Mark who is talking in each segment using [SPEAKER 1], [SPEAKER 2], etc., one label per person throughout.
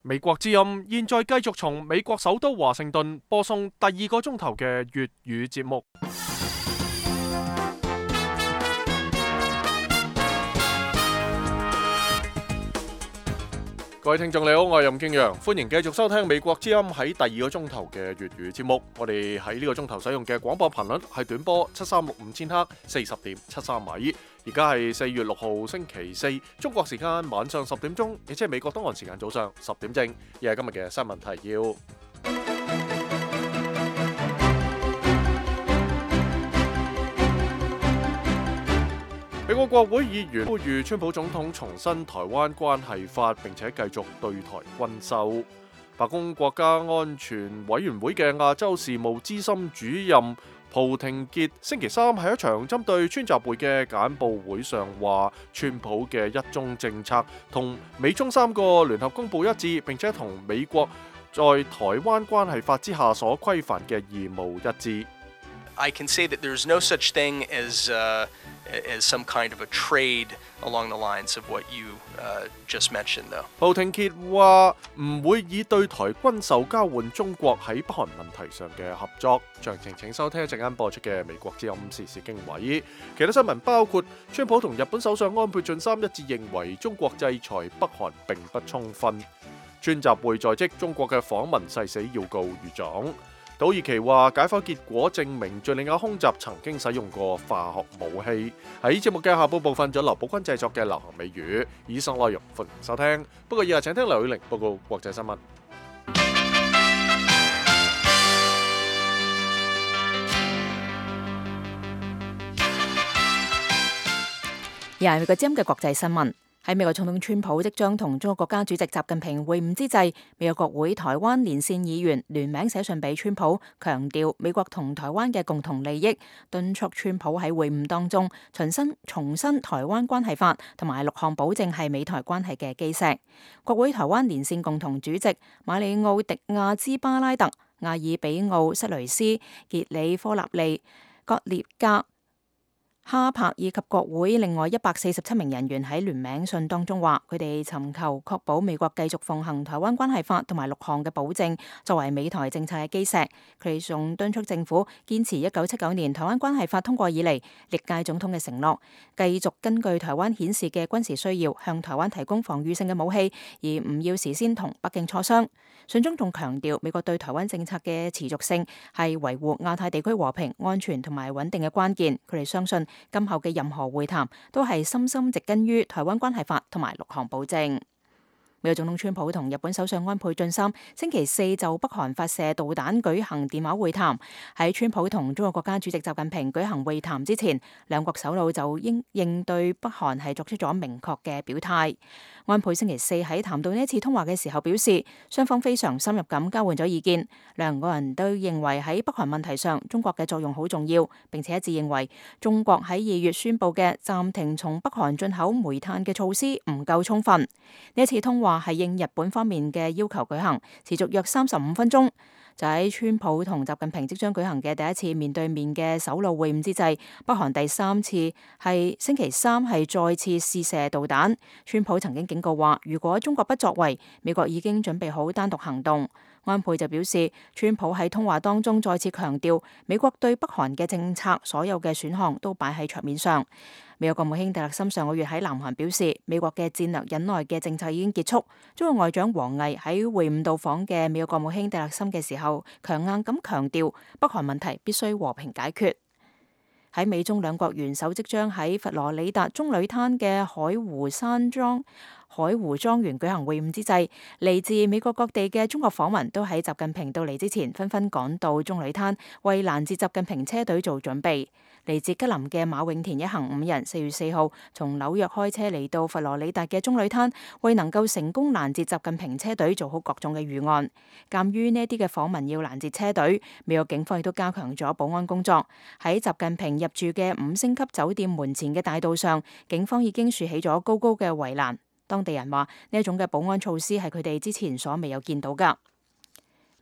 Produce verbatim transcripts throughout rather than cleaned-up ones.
[SPEAKER 1] 美國之音現在繼續從美國首都華盛頓播送第二個鐘頭嘅粵語節目。各位聽眾你好，我係任敬陽，歡迎繼續收聽美國之音喺第二個鐘頭嘅粵語節目。我哋喺呢個鐘頭使用嘅廣播頻率係短波七三六五千赫，四十點七三米。而家係四月六號星期四，中國時間晚上十點鐘，亦即係美國東岸時間早上十點正。而係今日嘅新聞提要。美國國會議員呼籲川普總統重申台灣關係法，並且繼續對台軍售。白宮國家安全委員會嘅亞洲事務資深主任蒲廷傑星期三喺一場針對川習會嘅簡報會上話，川普嘅一中政策同美中三個聯合公報一致，並且同美國在台灣關係法之下所規範嘅義務一致。
[SPEAKER 2] I can say that there's no such thing as, uh, as some kind of a trade along the lines of what you uh, just mentioned, though.
[SPEAKER 1] 蒲廷傑話唔會以對台軍售交換中國喺北韓問題上嘅合作。詳情請收聽一陣間播出嘅美國之音時事經緯。其他新聞包括，川普同日本首相安倍晉三一致認為中國制裁北韓並不充分。川習會在即，中國嘅訪問誓死要告御狀。土耳其話解剖結果證明敘利亞空襲曾經使用過化學武器。喺節目嘅下半部分，仲有劉寶君製作嘅流行美語。以上內容歡迎收聽。不過以下請聽劉宇玲報告國際新聞。
[SPEAKER 3] 而係美國之音嘅國際新聞。喺美國總統川普即將同中國國家主席習近平會晤之際，美國國會台灣連線議員聯名寫信俾川普，強調美國同台灣嘅共同利益，敦促川普喺會晤當中重申重申台灣關係法同埋六項保證係美台關係嘅基石。國會台灣連線共同主席馬里奧迪亞茲巴拉特、阿爾比奧塞雷斯、傑里科納利、葛列加、哈柏以及國會另外一百四十七名人員喺聯名信當中話，佢哋尋求確保美國繼續奉行台灣關係法同埋六項嘅保證作為美台政策嘅基石。佢哋仲敦促政府堅持一九七九年台灣關係法通過以嚟歷屆總統嘅承諾，繼續根據台灣顯示嘅軍事需要向台灣提供防禦性嘅武器，而唔要事先同北京磋商。信中仲強調美國對台灣政策嘅持續性係維護亞太地區和平、安全同埋穩定嘅關鍵。佢哋相信今後嘅任何會談都係深深植根於台灣關係法同埋六項保證。美國總統川普同日本首相安倍晉三星期四就北韓發射導彈舉行電話會談。喺川普同中國國家主席習近平舉行會談之前，兩國首腦就應應對北韓係作出咗明確嘅表態。安倍星期四喺談到呢一次通話嘅時候表示，雙方非常深入咁交換咗意見，兩個人都認為喺北韓問題上中國嘅作用好重要，並且一致認為中國喺二月宣布嘅暫停從北韓進口煤炭嘅措施唔夠充分。呢一次通話係應日本方面嘅要求舉行，持續約三十五分鐘。就喺川普同習近平即將舉行嘅第一次面對面嘅首腦會晤之際，北韓第三次係星期三係再次試射導彈。川普曾經警告話，如果中國不作為，美國已經準備好單獨行動。安倍就表示，川普喺通話當中再次強調，美國對北韓嘅政策所有嘅選項都擺喺桌面上。美國國務卿蒂勒森上個月喺南韓表示，美國嘅戰略忍耐嘅政策已經結束。中國外長王毅喺會晤到訪嘅美國國務卿蒂勒森嘅時候，強硬咁強調北韓問題必須和平解決。喺美中兩國元首即將喺佛羅里達棕櫚灘嘅海湖山莊海湖莊園舉行會晤之際，嚟自美國各地嘅中國訪民都喺習近平到嚟之前紛紛趕到棕櫚灘，為攔截習近平車隊做準備。嚟自吉林嘅馬永田一行五人，四月四號從紐約開車嚟到佛羅里達嘅棕櫚灘，為能夠成功攔截習近平車隊做好各種嘅預案。鑑於呢啲嘅訪民要攔截車隊，美國警方亦都加強咗保安工作。喺習近平入住嘅五星級酒店門前嘅大道上，警方已經豎起咗高高嘅圍欄。當地人話呢一種嘅保安措施係佢哋之前所未有見到㗎。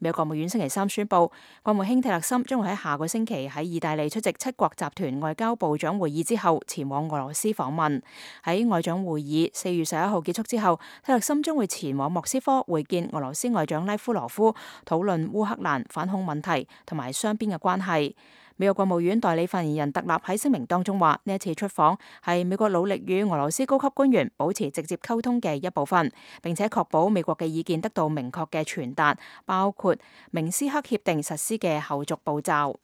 [SPEAKER 3] 美國國務院星期三宣布，國務卿蒂勒森將會喺下個星期喺意大利出席七國集團外交部長會議之後，前往俄羅斯訪問。喺外長會議四月十一號結束之後，蒂勒森將會前往莫斯科會見俄羅斯外長拉夫羅夫，討論烏克蘭反恐問題同埋雙邊嘅關係。美國國務院代理發言人特納喺聲明當中話，呢一次出訪係美國努力與俄羅斯高級官員保持直接溝通嘅一部分，並且確保美國嘅意見得到明確嘅傳達，包括明斯克協定實施嘅後續步驟。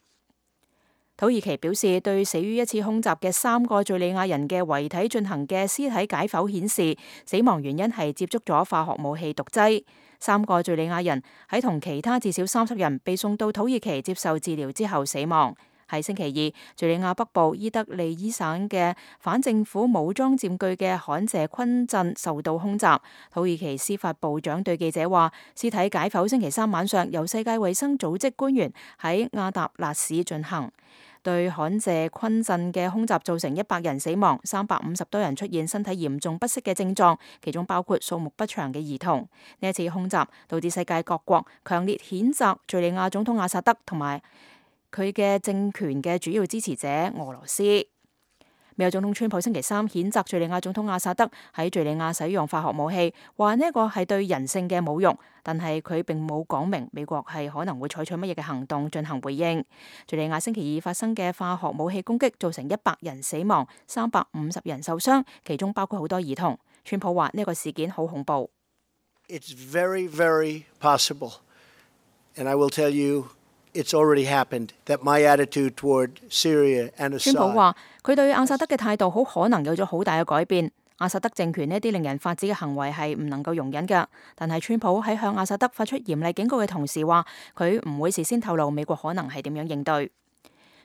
[SPEAKER 3] 土耳其表示，對死於一次空襲嘅三個敘利亞人嘅遺體進行嘅屍體解剖顯示，死亡原因係接觸咗化學武器毒劑。三個敘利亞人喺同其他至少三十人被送到土耳其接受治療之後死亡。喺星期二，敘利亞北部伊德利伊省嘅反政府武裝佔據嘅罕謝昆鎮受到空襲。土耳其司法部長對記者話，屍體解剖星期三晚上由世界衛生組織官員喺亞達納市進行。對罕謝昆鎮嘅空襲造成一百人死亡，三百五十多人出現身體嚴重不適嘅症狀，其中包括數目不詳嘅兒童。呢一次空襲導致世界各國強烈譴責敘利亞總統阿薩德同埋佢嘅政權嘅主要支持者俄羅斯。美國總統川普星期三譴責敘利亞總統阿薩德喺敘利亞使用化學武器，話呢一個係對人性嘅侮辱，但係佢並冇講明美國係可能會採取乜嘢嘅行動進行回應。敘利亞星期二發生嘅化學武器攻擊造成一百人死亡，三百五十人受傷，其中包括好多兒童。川普話呢個事件好恐怖。
[SPEAKER 4] It's very, very possible, and I will tell you.It's already happened that my attitude toward Syria and Assad.
[SPEAKER 3] 川普話佢對阿薩德嘅態度好可能有咗好大嘅改變。阿薩德政權呢啲令人髮指嘅行為係唔能夠容忍㗎。但係川普喺向阿薩德發出嚴厲警告嘅同時話，佢唔會事先透露美國可能係點樣應對。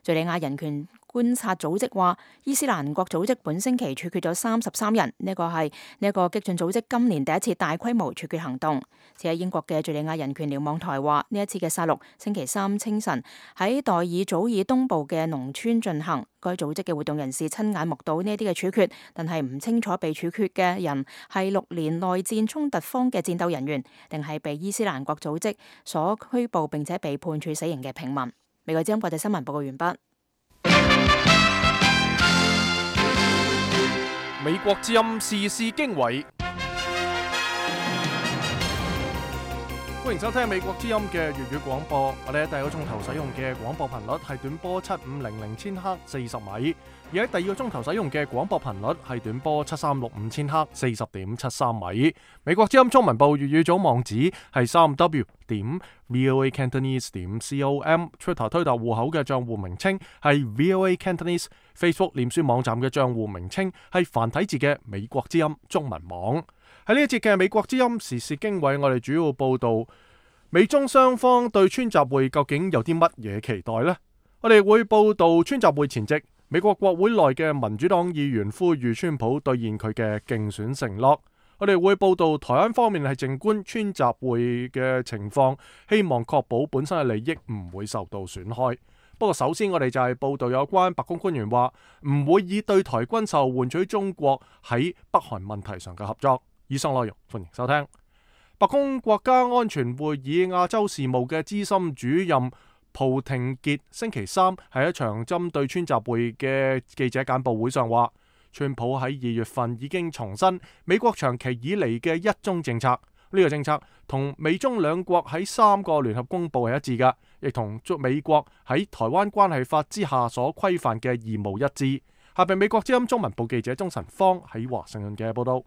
[SPEAKER 3] 敘利亞人權觀察組織話，伊斯蘭國組織本星期處決咗三十三人，呢個係呢一個激進組織今年第一次大規模處決行動。此喺英國嘅敘利亞人權瞭望台話，呢一次嘅殺戮星期三清晨喺代爾祖爾東部嘅農村進行。該組織嘅活動人士親眼目睹呢一啲嘅處決，但係唔清楚被處決嘅人係六年內戰衝突方嘅戰鬥人員，定係被伊斯蘭國組織所拘捕並且被判處死刑嘅平民。美國之音國際新聞報告完畢。
[SPEAKER 1] 美國之音時事經緯，歡迎收聽美國之音嘅粵語廣播。我哋喺第一個鐘頭使用嘅廣播頻率係短波七五零零千赫四十米，而喺第二個鐘頭使用嘅廣播頻率係短波七三六五千赫四十點七三米。美國之音中文部粵語組網址係三 w 點 voacantonese 點 com，Twitter 推特戶口嘅賬戶名稱係 voacantonese，Facebook 臉書網站嘅賬戶名稱係繁體字嘅美國之音中文網。喺呢一節嘅美國之音時事經緯，我哋主要報道美中雙方對川習會究竟有啲乜嘢期待呢？我哋會報道川習會前夕，美國國會內嘅民主黨議員呼籲川普兌現佢嘅競選承諾。我哋會報道台灣方面係靜觀川習會嘅情況，希望確保本身嘅利益唔會受到損害。不過首先我哋就係報道有關白宮官員話唔會以對台軍售換取中國喺北韓問題上嘅合作。以上內容歡迎收聽。白宮國家安全會議亞洲事務嘅資深主任蒲廷傑星期三喺一場針對川習會嘅記者簡報會上話，川普喺二月份已經重申美國長期以嚟嘅一中政策，呢、這個政策同美中兩國喺三個聯合公報係一致嘅，亦同美國喺台灣關係法之下所規範嘅義務一致。下邊美國之音中文部記者鍾晨芳喺華盛頓嘅報道。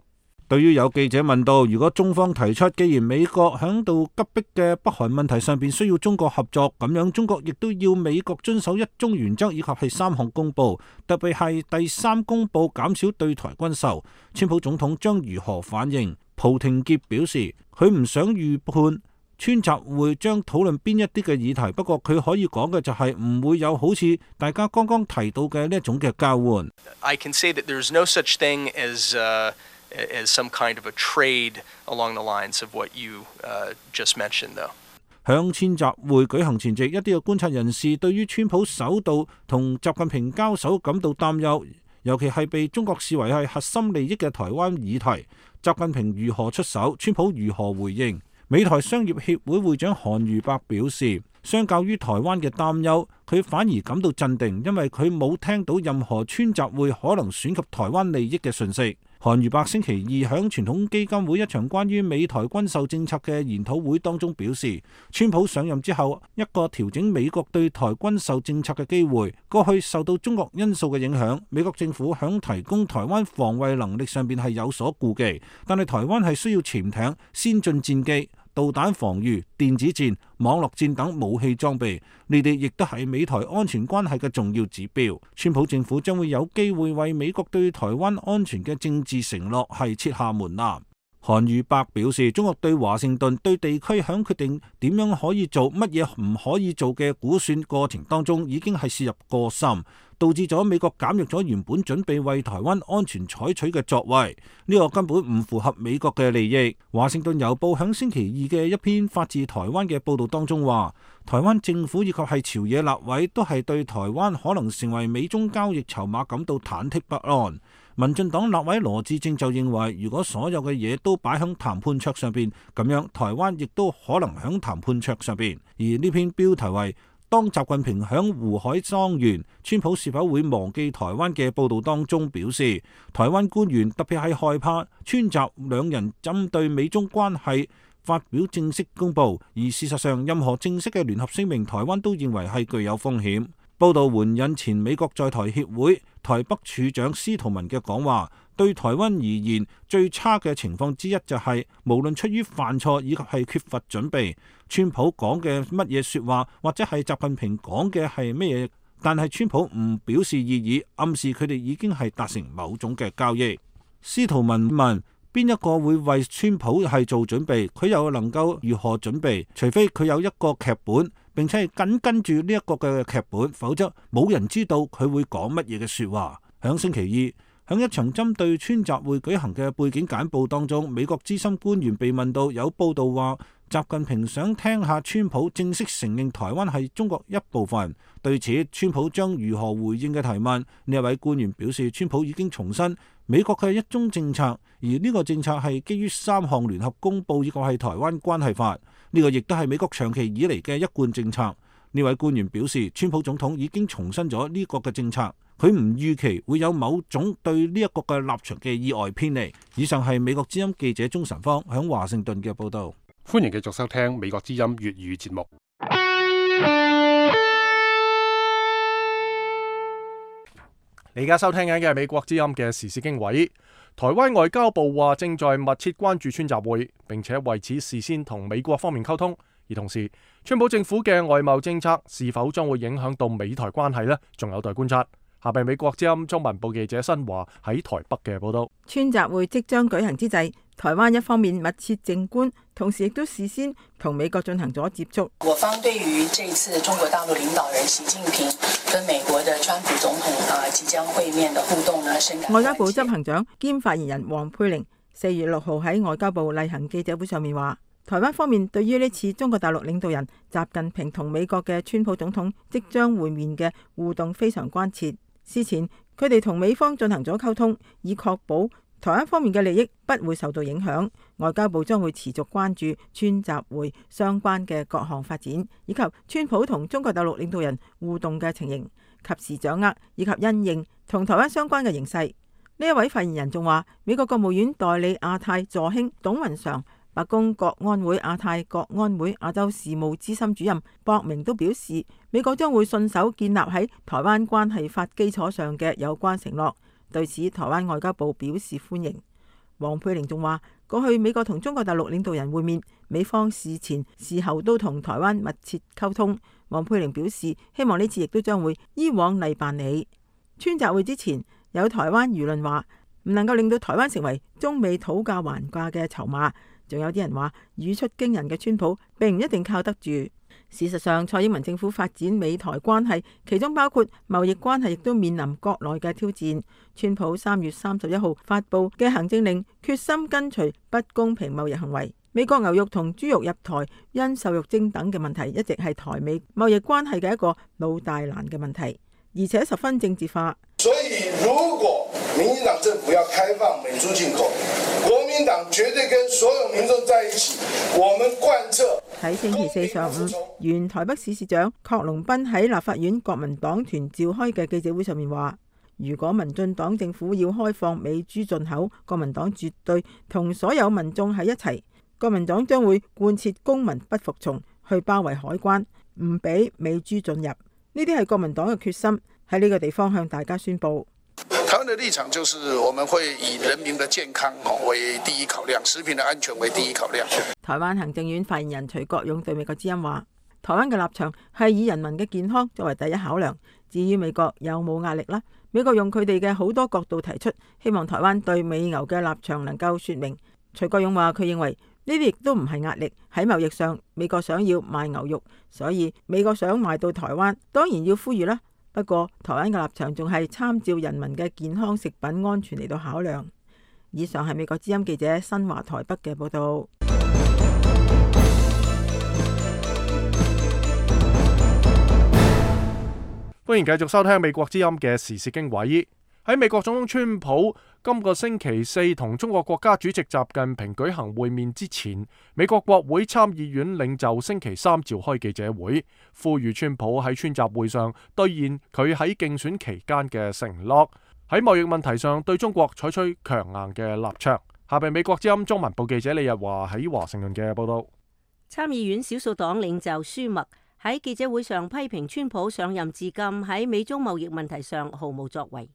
[SPEAKER 5] 對於有記者問到，如果中方提出既然美國響度急迫嘅北韓問題上邊需要中國合作，咁樣中國亦都要美國遵守一中原則以及係三項公報，特別係第三公報減少對台軍售，川普總統將如何反應？蒲廷傑表示，佢唔想預判川習會將討論邊一啲嘅議題，不過佢可以講嘅就係唔會有好似大家剛剛提到嘅呢一種嘅交換。
[SPEAKER 2] I can say that there's no such thing as uh as some kind of a trade along the lines of what you uh, just mentioned, though.
[SPEAKER 5] 響川習會舉行前夕，一啲嘅觀察人士對於川普首度同習近平交手感到擔憂，尤其係被中國視為係核心利益嘅台灣議題，習近平如何出手，川普如何回應。美台商業協會會長韓如伯表示，相較於台灣嘅擔憂，佢反而感到鎮定，因為佢冇聽到任何川習會可能損及台灣利益嘅訊息。韓如伯星期二響傳統基金會一場關於美台軍售政策嘅研討會當中表示，川普上任之後一個調整美國對台軍售政策嘅機會，過去受到中國因素嘅影響，美國政府響提供台灣防衛能力上邊係有所顧忌，但係台灣係需要潛艇、先進戰機、導彈防禦、電子戰、網絡戰等武器裝備，呢啲亦都係美台安全關係嘅重要指標。川普政府將會有機會為美國對台灣安全嘅政治承諾係設下門檻。韓如伯表示，中國對華盛頓對地區響決定點樣可以做、乜嘢唔可以做嘅估算過程當中，已經係涉入過深，導致咗美國減弱咗原本準備為台灣安全採取嘅作為，呢個根本唔符合美國嘅利益。華盛頓郵報響星期二嘅一篇發自台灣嘅報導當中話，台灣政府以及係朝野立委都係對台灣可能成為美中交易籌碼感到忐忑不安。民進黨立委羅致政就認為，如果所有嘅嘢都擺喺談判桌上邊，咁樣台灣亦都可能喺談判桌上邊。而呢篇標題為當習近平響胡海莊園，川普是否會忘記台灣嘅報導當中表示，台灣官員特別係害怕川習兩人針對美中關係發表正式公佈，而事實上任何正式嘅聯合聲明，台灣都認為係具有風險。報道援引前美國在台協會台北處長司徒文嘅講話，對台灣而言最差嘅情況之一就係、是、無論出於犯錯以及係缺乏準備，川普講嘅乜嘢說話或者係習近平講嘅係乜嘢，但係川普唔表示異議，暗示佢哋已經係達成某種嘅交易。司徒文問，邊一個會為川普係做準備？佢又能夠如何準備？除非佢有一個劇本，並且係緊跟住呢一個嘅劇本，否則冇人知道佢會講乜嘢嘅說話。響星期二，響一場針對川習會舉行嘅背景簡報當中，美國資深官員被問到，有報道話習近平想聽下川普正式承認台灣係中國一部分。對此，川普將如何回應嘅提問，呢一位官員表示，川普已經重申美國嘅一中政策，而呢個政策係基於三項聯合公報以及係台灣關係法，呢個亦都係美國長期以嚟嘅一貫政策。呢位官員表示，川普總統已經重申咗呢個嘅政策，佢唔預期會有某種對呢一個嘅立場嘅意外偏離。以上係美國之音記者鍾晨芳響華盛頓嘅報道。
[SPEAKER 1] 歡迎繼續收聽美國之音粵語節目。你而家收聽緊嘅係美國之音嘅時事經緯。台灣外交部話正在密切關注川習會，並且為此事先同美國方面溝通。而同時，川普政府嘅外貿政策是否將會影響到美台關係呢？仲有待觀察。下邊美國之音中文部記者新華喺台北嘅報道。
[SPEAKER 6] 川習會即將舉行之際，台灣一方面密切靜觀，同時亦都事先同美國進行咗接觸。
[SPEAKER 7] 我方對於這次中國大陸領導人習近平跟美國的川普總統啊即將會面的互動呢，深感關切。
[SPEAKER 6] 外交部執行長兼發言人黃佩玲四月六號喺外交部例行記者會上面話，台灣方面對於呢次中國大陸領導人習近平同美國嘅川普總統即將會面嘅互動非常關切。事前佢哋同美方進行咗溝通，以確保台灣方面嘅利益不會受到影響。外交部將會持續關注川習會相關嘅各項發展，以及川普同中國大陸領導人互動嘅情形，及時掌握以及因應同台灣相關嘅形勢。呢一位發言人仲話，美國國務院代理亞太助卿董雲常、白宮國安會亞太國安會亞洲事務資深主任博明都表示，美國將會信守建立喺台灣關係法基礎上嘅有關承諾。對此，台灣外交部表示歡迎。黃佩玲仲話，過去美國同中國大陸領導人會面，美方事前事後都同台灣密切溝通。黃佩玲表示，希望呢次亦都將會依往例辦理。川習會之前，有台灣輿論話唔能夠令到台灣成為中美討價還價嘅籌碼。仲有啲人話，語出驚人嘅川普並唔一定靠得住。事實上，蔡英文政府發展美台關係，其中包括貿易關係，亦都面臨國內嘅挑戰。川普三月三十一號發布嘅行政令，決心根除不公平貿易行為。美國牛肉同豬肉入台因瘦肉精等嘅問題，一直係台美貿易關係嘅一個老大難嘅問題，而且十分政治化。
[SPEAKER 8] 所以，如果民進黨政府要開放美豬進口，國民民黨絕對跟所有民眾在一起，我們貫徹。
[SPEAKER 6] 喺星期四上午，原台北市市長郝龍斌喺立法院國民黨團召開嘅記者會上面話，如果民進黨政府要開放美豬進口，國民黨絕對同所有民眾喺一齊。國民黨將會貫徹公民不服從，去包圍海關，唔俾美豬進入。呢啲係國民黨嘅決心，喺呢個地方向大家宣佈。
[SPEAKER 8] 台灣的立場就是，我們會以人民的健康為第一考量，食品的安全為第一考量。
[SPEAKER 6] 台灣行政院發言人徐國勇對美國之音話，台灣嘅立場係以人民嘅健康作為第一考量，至於美國有冇壓力呢？美國用佢哋嘅好多角度提出，希望台灣對美牛嘅立場能夠說明。徐國勇話，佢認為呢啲亦都唔係壓力，喺貿易上美國想要賣牛肉，所以美國想賣到台灣，當然要呼籲啦。不過台灣嘅立場仲係參照人民嘅健康食品安全嚟到考量。以上係美國之音記者新華台北嘅報道。
[SPEAKER 1] 歡迎繼續收聽美國之音嘅時事經緯。喺美國總統川普今個星期四同中國國家主席習近平舉行會面之前，美國國會參議院領袖星期三召開記者會，呼籲川普喺川習會上兌現佢喺競選期間嘅承諾，喺貿易問題上對中國採取強硬嘅立場。下邊美國之音中文部記者李日華喺華盛頓嘅報道。
[SPEAKER 9] 參議院少數黨領袖舒默喺記者會上批評川普上任至今喺美中貿易問題上毫無作為，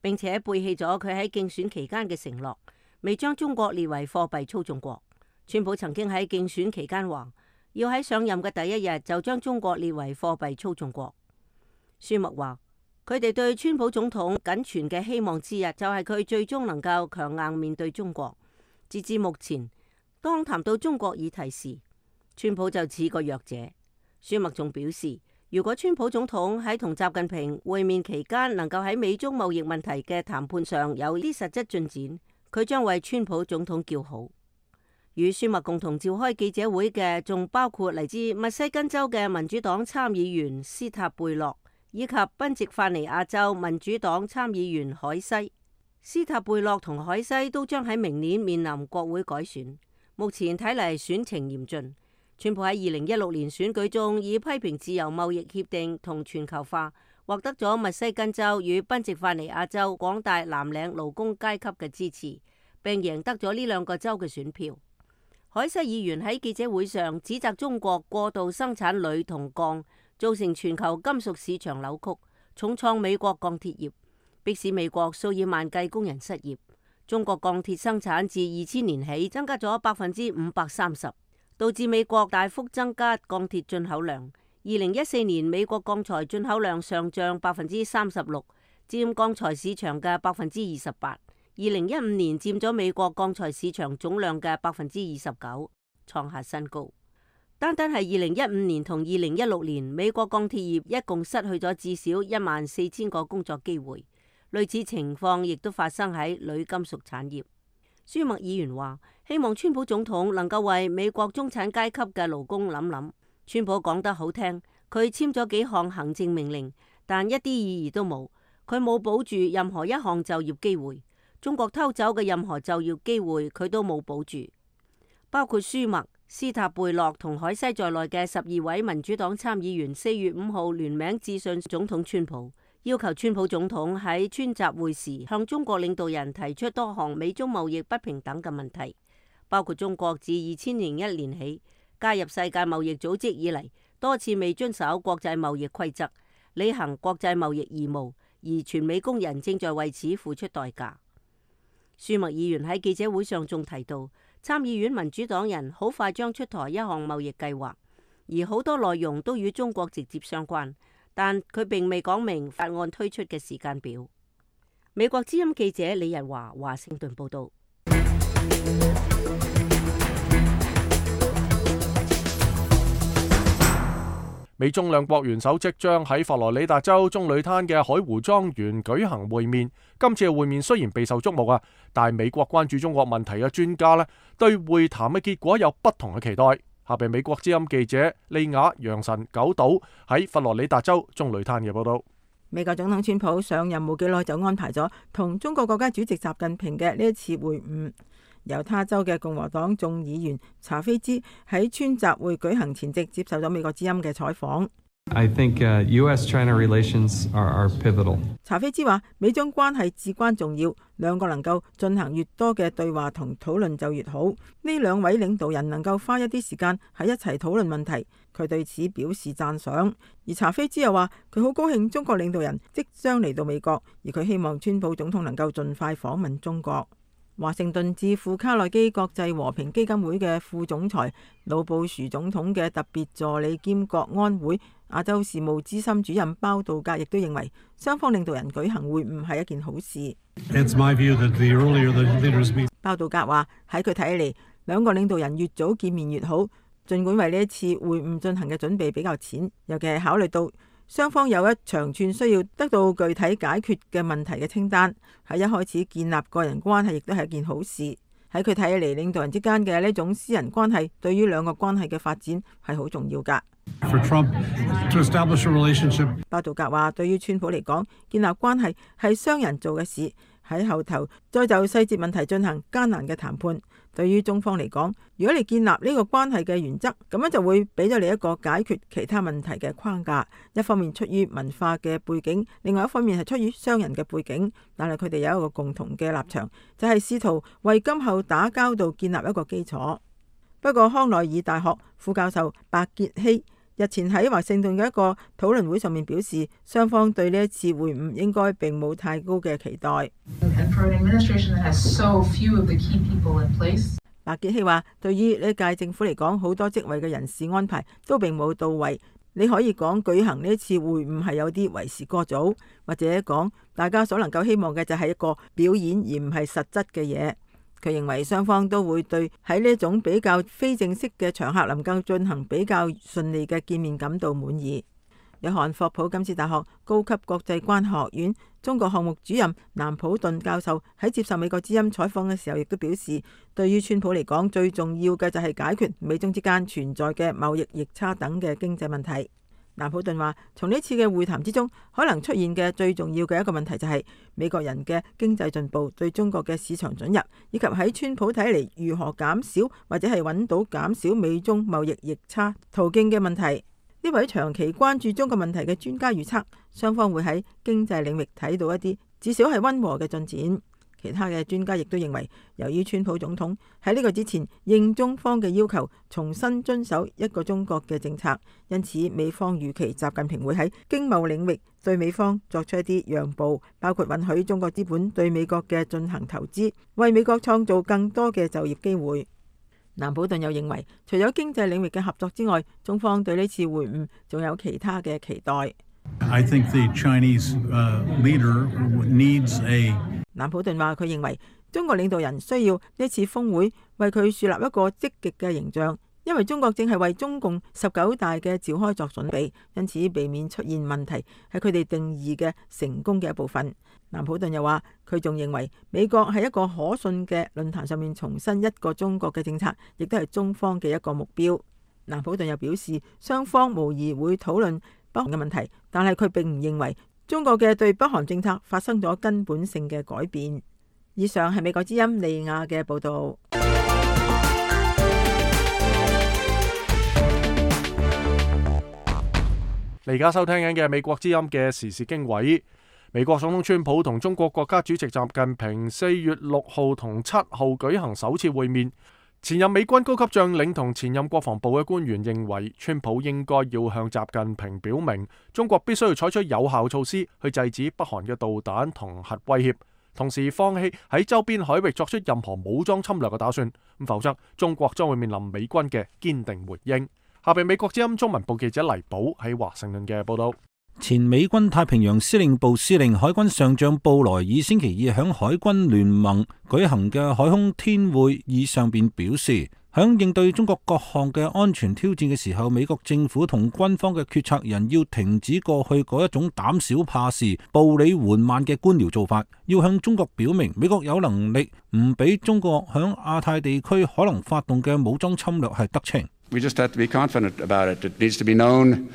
[SPEAKER 9] 並且背棄咗佢喺競選期間嘅承諾，未將中國列為貨幣操縱國。川普曾經喺競選期間話，要喺上任嘅第一日就將中國列為貨幣操縱國。舒默話，佢哋對川普總統僅存嘅希望之一，就係佢最終能夠強硬面對中國。截至目前，當談到中國議題時，川普就似個弱者。舒默仲表示，如果川普總統喺同習近平會面期間能夠喺美中貿易問題嘅談判上有啲實質進展，佢將為川普總統叫好。與舒默共同召開記者會嘅仲包括嚟自密西根州嘅民主黨參議員斯塔貝洛，以及賓夕法尼亞州民主黨參議員海西。斯塔貝洛同海西都將喺明年面臨國會改選，目前睇嚟選情嚴峻。川普喺二零一六年選舉中以批評自由貿易協定同全球化，獲得咗密西根州與賓夕法尼亞州廣大藍領勞工階級嘅支持，並贏得咗呢兩個州嘅選票。海西議員喺記者會上指責中國過度生產鋁同鋼，造成全球金屬市場扭曲，重創美國鋼鐵業，迫使美國數以萬計工人失業。中國鋼鐵生產自二千年起增加咗百分之五百三十。導致美國大幅增加鋼鐵進口量。二零一四年美國鋼材進口量上漲百分之三十六，佔鋼材市場嘅百分之二十八。二零一五年佔咗美國鋼材市場總量嘅百分之二十九，創下新高。單單係二零一五年同二零一六年，美國鋼鐵業一共失去咗至少一萬四千個工作機會。類似情況亦都發生喺鋁金屬產業。舒默議員話，希望川普總統能夠為美國中產階級嘅勞工諗諗。川普講得好聽，佢簽咗幾項行政命令，但一啲意義都冇。佢冇保住任何一項就業機會，中國偷走嘅任何就業機會佢都冇保住。包括舒默、斯塔貝洛同海西在內嘅十二位民主黨參議員四月五號聯名致信總統川普，要求川普總統喺川習會時向中國領導人提出多項美中貿易不平等嘅問題，包括中國自二千零一年起加入世界貿易組織以嚟，多次未遵守國際貿易規則，履行國際貿易義務，而全美工人正在為此付出代價。舒默議員喺記者會上仲提到，參議院民主黨人好快將出台一項貿易計劃，而好多內容都與中國直接相關。但佢並未講明法案推出嘅時間表。美國之音記者李日華華盛頓報道。
[SPEAKER 1] 美中兩國元首即將喺佛羅里達州棕櫚灘嘅海湖莊園舉行會面。今次嘅會面雖然備受矚目啊，但係美國關注中國問題嘅專家呢，對會談嘅結果有不同嘅期待。下邊美國之音記者利亞楊臣九島喺佛羅里達州棕櫚灘嘅報道。
[SPEAKER 6] 美國總統川普上任冇幾耐就安排咗同中國國家主席習近平嘅呢一次會晤。猶他州嘅共和黨眾議員查菲茲喺川集會舉行前夕接受咗美國之音嘅採訪。
[SPEAKER 10] I think uh, U S China relations are, are pivotal.
[SPEAKER 6] 查菲茲話：美中關係至關重要，兩個能夠進行越多嘅對話同討論就越好。呢兩位領導人能夠花一啲時間喺一齊討論問題，佢對此表示讚賞。而查菲茲又話：佢好高興中國領導人即將嚟到美國，而佢希望川普總統能夠盡快訪問中國。華盛頓智庫卡內基國際和平基金會嘅副總裁、老布殊總統嘅特別助理兼國安會亞洲事務資深主任包道格亦都認為，雙方領導人舉行會晤係一件好事。包道格話：喺佢睇嚟，兩個領導人越早見面越好。儘管為呢一次會晤進行嘅準備比較淺，尤其係考慮到雙方有一長串需要得到具體解決嘅問題嘅清單，喺一開始建立個人關係亦都係一件好事。喺佢睇嚟，領導人之間嘅呢種私人關係對於兩個關係嘅發展係好重要㗎。包道格話：對於川普嚟講，建立關係係商人做嘅事，喺後頭再就細節問題進行艱難嘅談判。對於中方嚟講，如果你建立呢個關係嘅原則，咁樣就會俾咗你一個解決其他問題嘅框架。一方面出於文化嘅背景，另外一方面係出於商人嘅背景，但係佢哋有一個共同嘅立場，就係試圖為今後打交道建立一個基礎。不過康奈爾大學副教授白傑希日前喺華盛頓嘅一個討論會上面表示，雙方對呢一次會晤應該並冇太高嘅期待。白傑希話：對於呢屆政府嚟講，好多職位嘅人事安排都並冇到位。你可以講舉行呢一次會晤係有啲為時過早，或者講大家所能夠希望嘅就係一個表演而唔係實質嘅嘢。佢認為雙方都會對喺呢種比較非正式嘅場合能夠進行比較順利嘅見面感到滿意。約翰霍普金斯大學高級國際關係學院中國項目主任南普頓教授喺接受美國之音採訪嘅時候，亦都表示，對於川普嚟講，最重要嘅就係解決美中之間存在嘅貿易逆差等嘅經濟問題。南普頓話：從呢次嘅會談之中，可能出現嘅最重要嘅一個問題就係美國人嘅經濟進步對中國嘅市場准入，以及喺川普睇嚟如何減少或者係揾到減少美中貿易逆差途徑嘅問題。呢位長期關注中國問題嘅專家預測，雙方會喺經濟領域睇到一啲至少係溫和嘅進展。其他嘅專家亦都認為，由於川普總統喺呢個之前應中方嘅要求，重新遵守一個中國嘅政策，因此美方預期習近平會喺經貿領域對美方作出一啲讓步，包括允許中國資本對美國嘅進行投資，為美國創造更多嘅就業機會。南普頓又認為，除咗經濟領域嘅合作之外，中方對呢次會晤仲有其他嘅期待。
[SPEAKER 11] I think the Chinese, uh, leader needs a
[SPEAKER 6] 南普頓話：佢認為中國領導人需要呢次峰會為佢樹立一個積極嘅形象，因為中國正係為中共十九大嘅召開作準備，因此避免出現問題係佢哋定義嘅成功嘅一部分。南普頓又話：佢仲認為美國喺一個可信嘅論壇上面重申一個中國嘅政策，亦都係中方嘅一個目標。南普頓又表示，雙方無疑會討論北韓嘅問題，但係佢並唔認為中國嘅對北韓政策發生咗根本性嘅改變。以上係美國之音利亞嘅報導。
[SPEAKER 1] 你而家收聽緊嘅美國之音嘅時事經緯。美國總統川普同中國國家主席習近平四月六號同七號舉行首次會面。前任美軍高級將領同前任國防部嘅官員認為，川普應該要向習近平表明，中國必須要採取有效措施去制止北韓嘅導彈同核威脅，同時放棄喺周邊海域作出任何武裝侵略嘅打算，咁否則中國將會面臨美軍嘅堅定回應。下邊美國之音中文部記者黎寶喺華盛頓嘅報道。
[SPEAKER 5] 前美軍太平洋司令部司令海軍上將布萊爾星期二響海軍聯盟舉行嘅海空天會議上邊表示，響應對中國各項嘅安全挑戰嘅時候，美國政府同軍方嘅決策人要停止過去嗰一種膽小怕事、步履緩慢嘅官僚做法，要向中國表明美國有能力唔俾中國響亞太地區可能發動嘅武裝侵略係得逞。
[SPEAKER 12] We just have to be confident about it. It needs to be known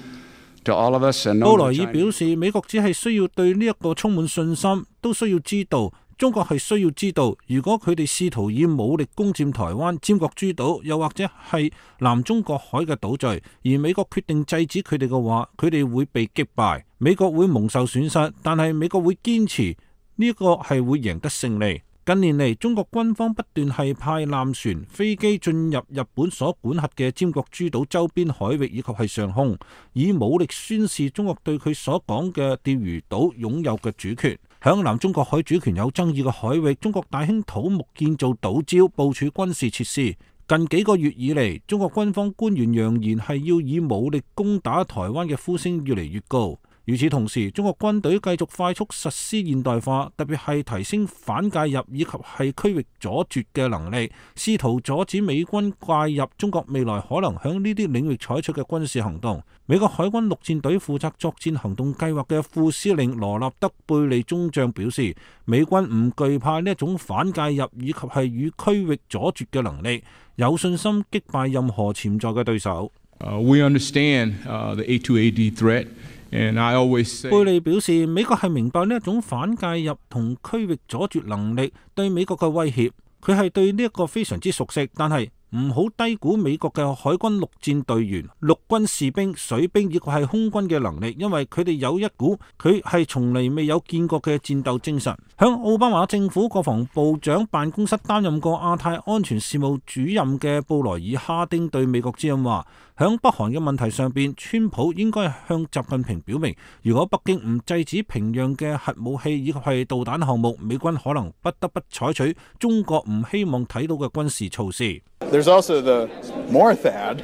[SPEAKER 12] to all of us and known to China.
[SPEAKER 5] 布萊爾表示，美國只係需要對呢一個充滿信心，都需要知道中國係需要知道，如果佢哋試圖以武力攻佔台灣、尖閣諸島，又或者係南中國海嘅島嶼，而美國決定制止佢哋嘅話，佢哋會被擊敗，美國會蒙受損失，但係美國會堅持呢個係會贏得勝利。近年嚟，中國軍方不斷係派艦船、飛機進入日本所管轄嘅尖閣諸島周邊海域以及係上空，以武力宣示中國對佢所講嘅釣魚島擁有嘅主權。響南中國海主權有爭議嘅海域，中國大興土木建造島礁，部署軍事設施。近幾個月以嚟，中國軍方官員揚言係要以武力攻打台灣嘅呼聲越嚟越高。與此同時，中國軍隊繼續快速實施現代化，特別係提升反介入以及係區域阻絕嘅能力，試圖阻止美軍介入中國未來可能響呢啲領域採取嘅軍事行動。美國海軍陸戰隊負責作戰行動計劃嘅副司令羅納德貝利中將表示，美軍唔懼怕呢一種反介入以及係與區域阻絕嘅能力，有信心擊敗任何潛在嘅對手。
[SPEAKER 13] Uh, we understand, uh, the A two A D threat.
[SPEAKER 5] 貝利表示，美國係明白呢一種反介入同區域阻絕能力對美國嘅威脅，佢係對呢一個非常之熟悉，但係唔好低估美國嘅海軍陸戰隊員、陸軍士兵、水兵以及係空軍嘅能力，因為佢哋有一股佢係從嚟未有見過嘅戰鬥精神。響奧巴馬政府國防部長辦公室擔任過亞太安全事務主任嘅布萊爾哈丁對美國之音話，響北韓嘅問題上邊，川普應該向習近平表明，如果北京唔制止平壤嘅核武器以及係導彈項目，美軍可能不得不採取中國唔希望睇到嘅軍事措施。
[SPEAKER 14] There's also the more T H A D,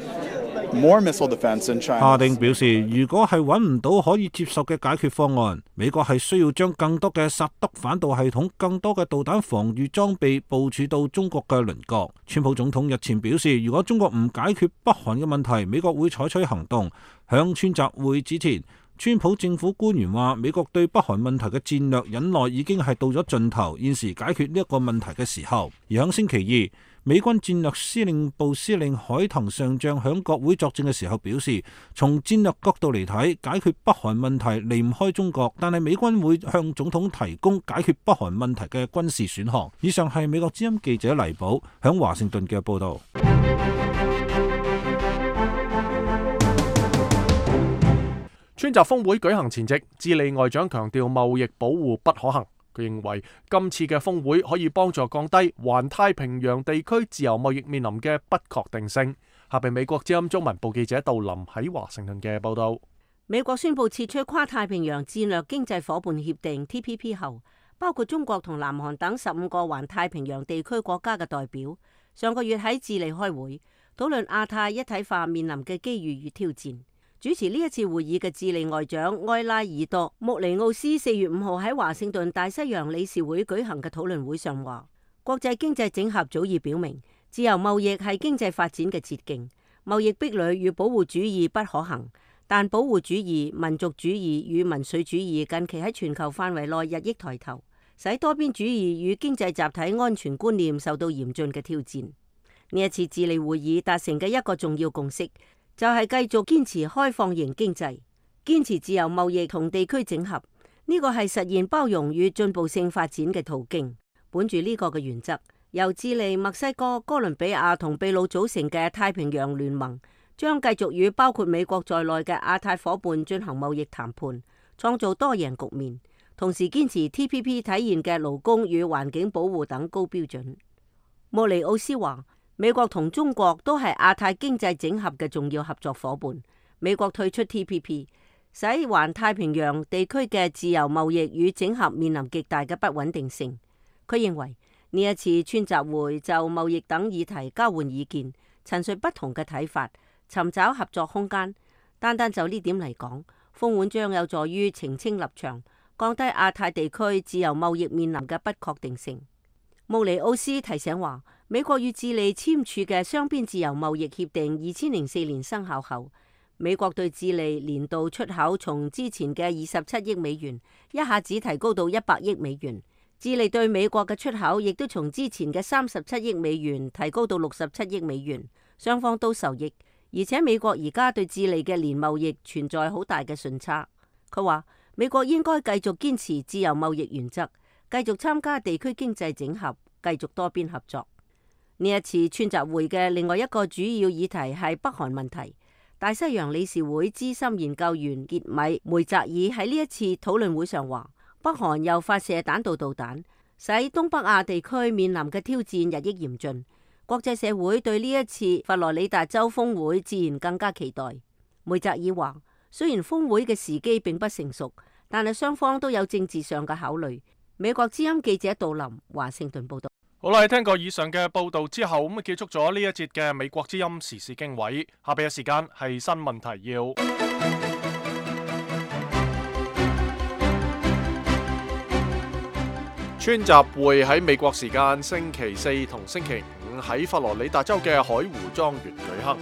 [SPEAKER 14] more missile defense in China.
[SPEAKER 5] 哈丁表示，如果係揾唔到可以接受嘅解決方案，美國係需要將更多嘅薩德反導系統、更多嘅導彈防禦裝備部署到中國嘅鄰國。川普總統日前表示，如果中國唔解決北韓嘅問題，美國會採取行動。響川習會之前，川普政府官員話，美國對北韓問題嘅戰略忍耐已經係到咗盡頭，現時解決呢一個問題嘅時候。而響星期二，美軍戰略司令部司令海騰上將響國會作證嘅時候表示，從戰略角度嚟睇，解決北韓問題離唔開中國，但係美軍會向總統提供解決北韓問題嘅軍事選項。以上係美國之音記者黎寶響華盛頓嘅報道。
[SPEAKER 1] 川習峰會舉行前夕，智利外長強調貿易保護不可行。佢認為今次嘅峰會可以幫助降低環太平洋地區自由貿易面臨嘅不確定性。下邊美國之音中文部記者杜林喺華盛頓嘅報道。
[SPEAKER 9] 美國宣布撤出跨太平洋戰略經濟夥伴協定 T P P 後，包括中國同南韓等十五個環太平洋地區國家嘅代表，上個月喺智利開會，討論亞太一體化面臨嘅機遇與挑戰。主持呢一次會議嘅智利外長埃拉爾多穆尼奧斯四月五號喺華盛頓大西洋理事會舉行嘅討論會上話，國際經濟整合早已表明，自由貿易係經濟發展嘅捷徑，貿易壁壘與保護主義不可行，但保護主義、民族主義與民粹主義近期喺全球範圍內日益抬頭，使多邊主義與經濟集體安全觀念受到嚴峻嘅挑戰。呢一次智利會議達成嘅一個重要共識，就係繼續堅持開放型經濟，堅持自由貿易同地區整合，呢個係實現包容與進步性發展嘅途徑。本住呢個嘅原則，由智利、墨西哥、哥倫比亞同秘魯組成嘅太平洋聯盟，將繼續與包括美國在內嘅亞太夥伴進行貿易談判，創造多贏局面，同時堅持 T P P 體現嘅勞工與環境保護等高標準。莫尼奧斯話，美國同中國都係亞太經濟整合嘅重要合作夥伴。美國退出 T P P， 使環太平洋地區嘅自由貿易與整合面臨極大嘅不穩定性。佢認為呢一次川習會就貿易等議題交換意見，陳述不同嘅睇法，尋找合作空間。單單就呢點嚟講，峰會將有助於澄清立場，降低亞太地區自由貿易面臨嘅不確定性。穆尼奧斯提醒話，美國與智利簽署嘅雙邊自由貿易協定二千零四年生效後，美國對智利年度出口從之前嘅二十七億美元一下子提高到一百億美元，智利對美國嘅出口亦都從之前嘅三十七億美元提高到六十七億美元，雙方都受益。而且美國而家對智利嘅年貿易存在好大嘅順差。佢話美國應該繼續堅持自由貿易原則，繼續參加地區經濟整合，繼續多邊合作。呢一次川習會嘅另外一個主要議題係北韓問題。大西洋理事會資深研究員傑米梅澤爾喺呢一次討論會上話，北韓又發射彈道導彈，使東北亞地區面臨嘅挑戰日益嚴峻。國際社會對呢一次佛羅里達州峰會自然更加期待。梅澤爾話，雖然峰會嘅時機並不成熟，但係雙方都有政治上嘅考慮。美國之音記者杜林華盛頓報道。
[SPEAKER 1] 好啦，聽過以上嘅報道之後，咁啊結束咗呢一節嘅美國之音時事經緯。下邊嘅時間係新聞提要。川習會喺美國時間星期四同星期五喺佛羅里達州嘅海湖莊園舉行。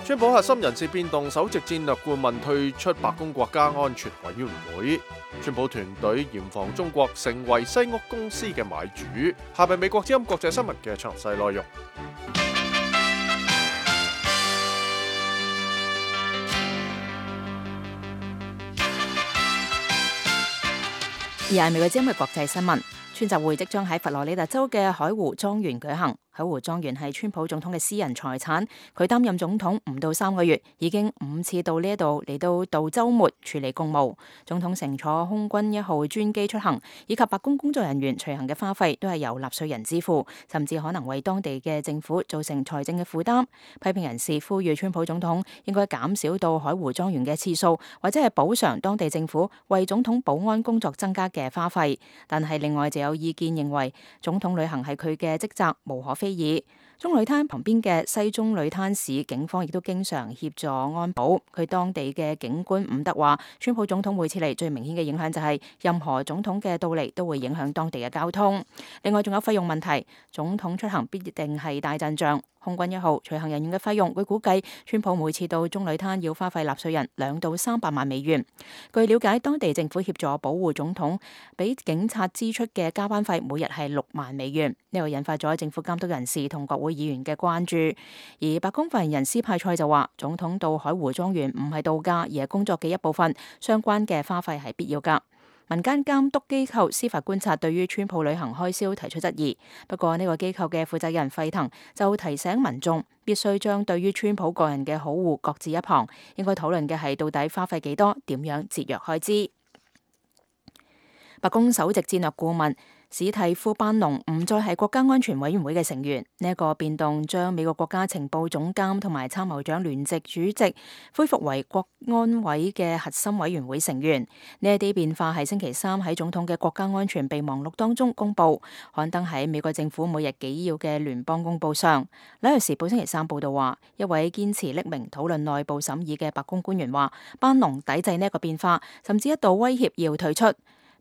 [SPEAKER 1] 川普核心人事變動，首席戰略顧問退出白宮國家安全委員會。川普團隊嚴防中國成為西屋公司嘅買主。下邊美國之音國際新聞嘅詳細內容。
[SPEAKER 3] 而係美國之音嘅國際新聞。川習會即將喺佛羅里達州嘅海湖莊園舉行。海湖莊園係川普總統嘅私人財產，佢擔任總統唔到三個月，已經五次到呢一度嚟到度週末處理公務。總統乘坐空軍一號專機出行，以及白宮工作人員隨行嘅花費都係由納稅人支付，甚至可能為當地嘅政府造成財政嘅負擔。批評人士呼籲川普總統應該減少到海湖莊園嘅次數，或者係補償當地政府為總統保安工作增加嘅花費。但係另外就有意見認為，總統旅行係佢嘅職責，無可非議。中旅灘旁邊嘅西中旅灘市警方亦都經常協助安保。佢當地嘅警官伍德話，川普總統會撤離最明顯嘅影響就係任何總統嘅到嚟都會影響當地嘅交通。另外仲有費用問題，總統出行必定係大陣仗。空軍一號隨行人員嘅費用，據估計川普每次到中旅灘要花費納稅人兩到三百萬美元。據了解，當地政府協助保護總統，俾警察支出嘅加班費每日係六萬美元。呢個引發咗政府監督人士同國會議員嘅關注。而白宮發言人斯派塞就話，總統到海湖莊園唔係度假，而係工作嘅一部分，相關嘅花費係必要㗎。民間監督機構司法觀察對於川普旅行開銷提出質疑，不過呢個機構嘅負責人費騰就提醒民眾必須將對於川普個人嘅好惡擱置一旁，應該討論嘅係到底花費幾多，點樣節約開支。白宮首席戰略顧問史蒂夫班農唔再係國家安全委員會嘅成員，呢、這、一個變動將美國國家情報總監同埋參謀長聯席主席恢復為國安委嘅核心委員會成員。呢一啲變化係星期三喺總統嘅國家安全備忘錄當中公布，刊登喺美國政府每日紀要嘅聯邦公報上。紐約時報星期三報道話，一位堅持匿名討論內部審議嘅白宮官員話，班農抵制呢一個變化，甚至一度威脅要退出。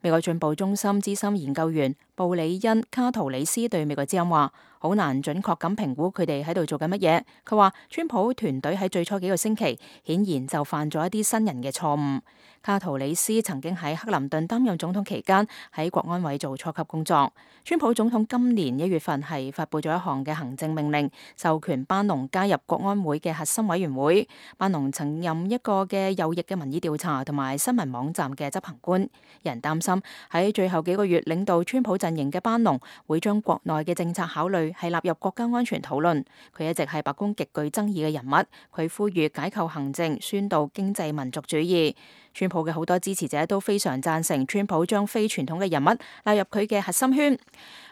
[SPEAKER 3] 美國進步中心資深研究員布里恩卡圖里斯對美國之音話，好難準確咁評估佢哋喺度做緊乜嘢。佢話川普團隊喺最初幾個星期顯然就犯咗一啲新人嘅錯誤。卡圖里斯曾經喺克林頓擔任總統期間喺國安委做初級工作。川普總統今年一月份係發佈咗一項嘅行政命令，授權班農加入國安會嘅核心委員會。班農曾任一個嘅右翼嘅民意調查同埋新聞網站嘅執行官。有人擔心喺最後幾個月領導川普陣營嘅班農會將國內嘅政策考慮係納入國家安全討論。佢一直係白宮極具爭議嘅人物。佢呼籲解構行政，宣導經濟民族主義。川普嘅好多支持者都非常贊成川普將非傳統嘅人物納入佢嘅核心圈。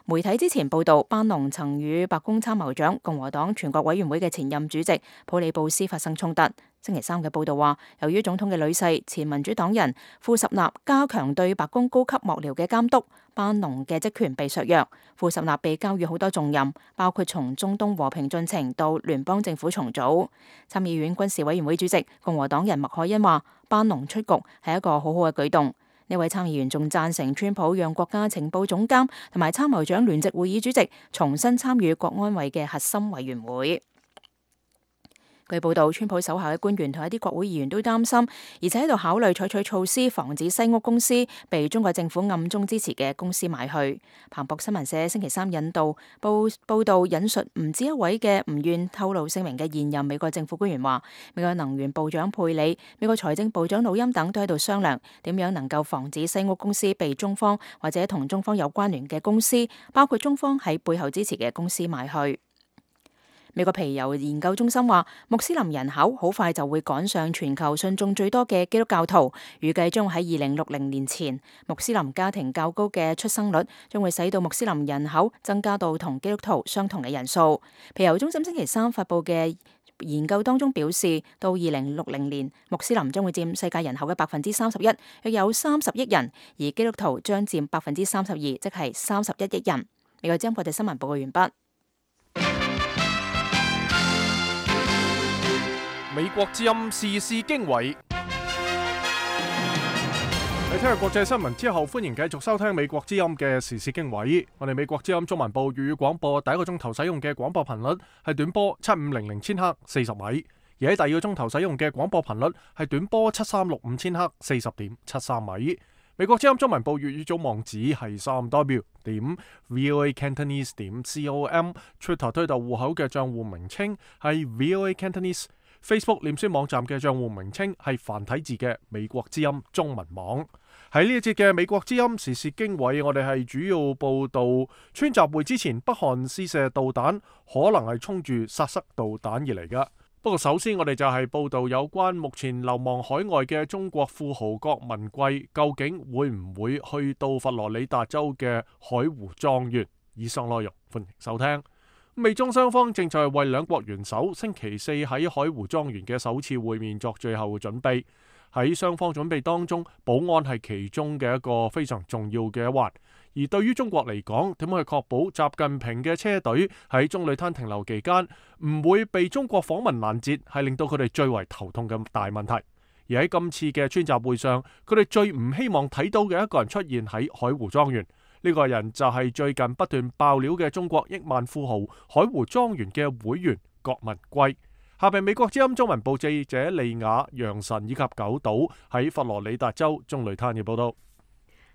[SPEAKER 3] 媒體之前報道，班農曾與白宮參謀長、共和黨全國委員會嘅前任主席普里布斯發生衝突。星期三嘅報道話，由於總統嘅女婿前民主黨人庫什納加強對白宮高級幕僚嘅監督，班農嘅職權被削弱。庫什納被交予好多重任，包括從中東和平進程到聯邦政府重組。參議院軍事委員會主席共和黨人麥凱恩話，班農出局係一個好好嘅舉動。呢位參議員仲贊成川普讓國家情報總監同埋參謀長聯席會議主席重新參與國安委嘅核心委員會。據報道，川普手下嘅官員同一啲國會議員都擔心，而且喺度考慮採取措施防止西屋公司被中國政府暗中支持嘅公司買去。彭博新聞社星期三引導報報道引述唔止一位嘅唔願透露姓名嘅現任美國政府官員話，美國能源部長佩里、美國財政部長努欽等都喺度商量點樣能夠防止西屋公司被中方或者同中方有關聯嘅公司，包括中方喺背後支持嘅公司買去。美國皮尤研究中心話，穆斯林人口好快就會趕上全球信眾最多嘅基督教徒，預計將喺二零六零年前，穆斯林家庭較高嘅出生率將會使到穆斯林人口增加到同基督徒相同嘅人數。皮尤中心星期三發佈嘅研究當中表示，到二零六零年，穆斯林將會佔世界人口嘅百分之三十一，約有三十億人，而基督徒將佔百分之三十二，即係三十一億人。美國之音國際新聞報告完畢。
[SPEAKER 1] 美國之音時事經緯，你聽完國際新聞之後，歡迎繼續收聽美國之音嘅時事經緯。我哋美國之音中文部粵語廣播第一個鐘頭使用嘅廣播頻率係短波七五零零千赫四十米，而喺第二個鐘頭使用嘅廣播頻率係短波七三六五千赫四十點七三米。美國之音中文部粵語組網址係三 w 點 voa cantonese 點 com，Twitter 推特戶口嘅賬戶名稱係 voa cantonese。Facebook 臉書網站嘅賬戶名稱係繁體字嘅美國之音中文網。喺呢一節嘅美國之音時事經緯，我哋係主要報道川習會之前北韓試射導彈，可能係衝住殺塞導彈而嚟噶。不過首先我哋就係報道有關目前流亡海外嘅中國富豪郭文貴，究竟會唔會去到佛羅里達州嘅海湖莊園？以上內容歡迎收聽。美中雙方正在為兩國元首星期四喺海湖莊園嘅首次會面作最後嘅準備。喺雙方準備當中，保安係其中嘅一個非常重要嘅一環。而對於中國嚟講，點樣去確保習近平嘅車隊喺中旅灘停留期間唔會被中國訪問攔截，係令到佢哋最為頭痛嘅大問題。而喺今次嘅川習會上，佢哋最唔希望睇到嘅一個人出現喺海湖莊園。呢個人就係最近不斷爆料嘅中國億萬富豪海湖莊園嘅會員郭文貴。下邊美國之音中文部記者利雅、楊晨以及九島喺佛羅里達州中旅灘嘅報道。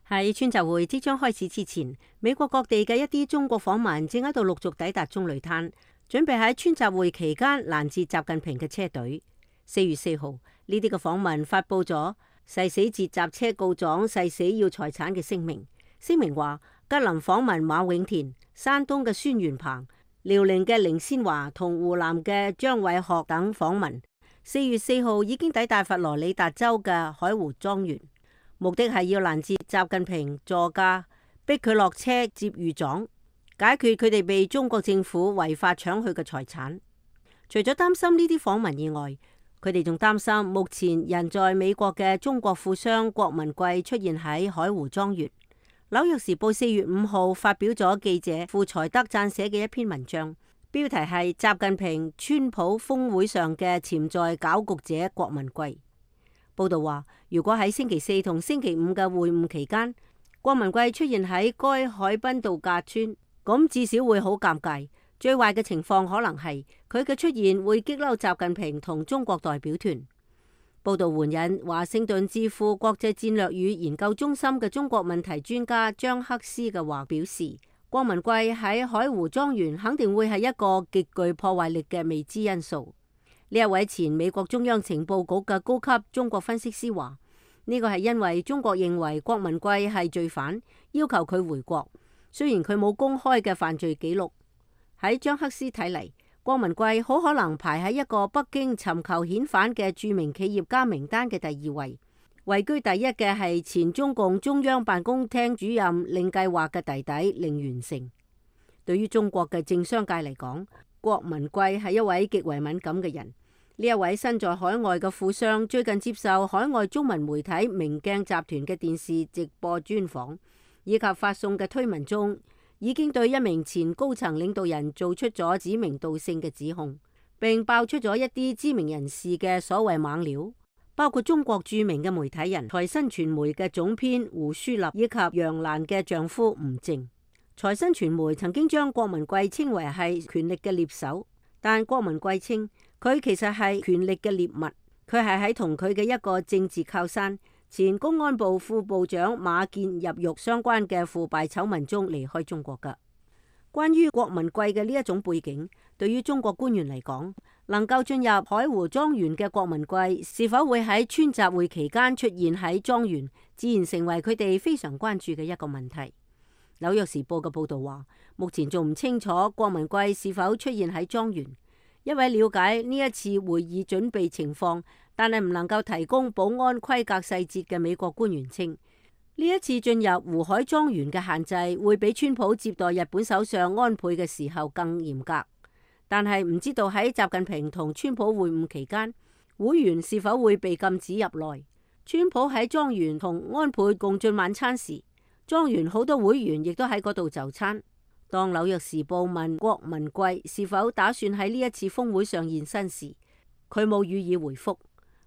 [SPEAKER 9] 喺川習會即將開始之前，美國各地嘅一啲中國訪民正喺度陸續抵達中旅灘，準備喺川習會期間攔截習近平嘅車隊。四月四號，呢啲嘅訪民發佈咗誓死截襲車告狀、誓死要財產嘅聲明。聲明話，吉林訪民馬永田、山東嘅孫元鵬、遼寧嘅凌先華同湖南嘅張偉學等訪民，四月四號已經抵達佛羅里達州嘅海湖莊園，目的係要攔截習近平座駕，逼佢落車接御狀，解決佢哋被中國政府違法搶去嘅財產。除咗擔心呢啲訪民以外，佢哋仲擔心目前人在美國嘅中國富商郭文貴出現喺海湖莊園。紐約時報四月五號發表咗記者傅才德撰寫嘅一篇文章，標題係習近平川普峰會上嘅潛在攪局者郭文貴。報道話，如果喺星期四同星期五嘅會晤期間，郭文貴出現喺該海濱度假村，咁至少會好尷尬。最壞嘅情況可能係佢嘅出現會激嬲習近平同中國代表團。報道援引華盛頓智庫國際戰略與研究中心嘅中國問題專家張克斯嘅話表示，郭文貴喺海湖莊園肯定會係一個極具破壞力嘅未知因素。呢一位前美國中央情報局嘅高級中國分析師話，呢個係因為中國認為郭文貴係罪犯，要求佢回國，雖然佢冇公開嘅犯罪記錄。喺張克斯睇嚟，郭文貴好可能排喺一個北京尋求遣返嘅著名企業家名單嘅第二位，位居第一嘅係前中共中央辦公廳主任令計劃嘅弟弟令元成。對於中國嘅政商界嚟講，郭文貴係一位極為敏感嘅人。呢一位身在海外嘅富商最近接受海外中文媒體明鏡集團嘅電視直播專訪，以及發送嘅推文中，已經對一名前高層領導人做出咗指名道姓嘅指控，並爆出咗一啲知名人士嘅所謂猛料，包括中國著名嘅媒體人財新傳媒嘅總編胡舒立以及楊瀾嘅丈夫吳靜。財新傳媒曾經將郭文貴稱為係權力嘅獵手，但郭文貴稱佢其實係權力嘅獵物，佢係喺同佢嘅一個政治靠山前公安部副部長馬建入獄相關嘅腐敗醜聞中離開中國㗎。關於郭文貴嘅呢一種背景，對於中國官員嚟講，能夠進入海湖莊園嘅郭文貴是否會喺川習會期間出現喺莊園，自然成為佢哋非常關注嘅一個問題。紐約時報嘅報導話，目前仲唔清楚郭文貴是否出現喺莊園。一位了解呢一次會議準備情況，但係唔能夠提供保安規格細節嘅美國官員稱，呢一次進入湖海莊園嘅限制會比川普接待日本首相安倍嘅時候更嚴格，但係唔知道喺習近平同川普會晤期間，會員是否會被禁止入內。川普喺莊園同安倍共進晚餐時，莊園好多會員亦都喺嗰度就餐。當紐約時報問郭文貴是否打算喺呢一次峰會上現身時，佢冇予以回覆。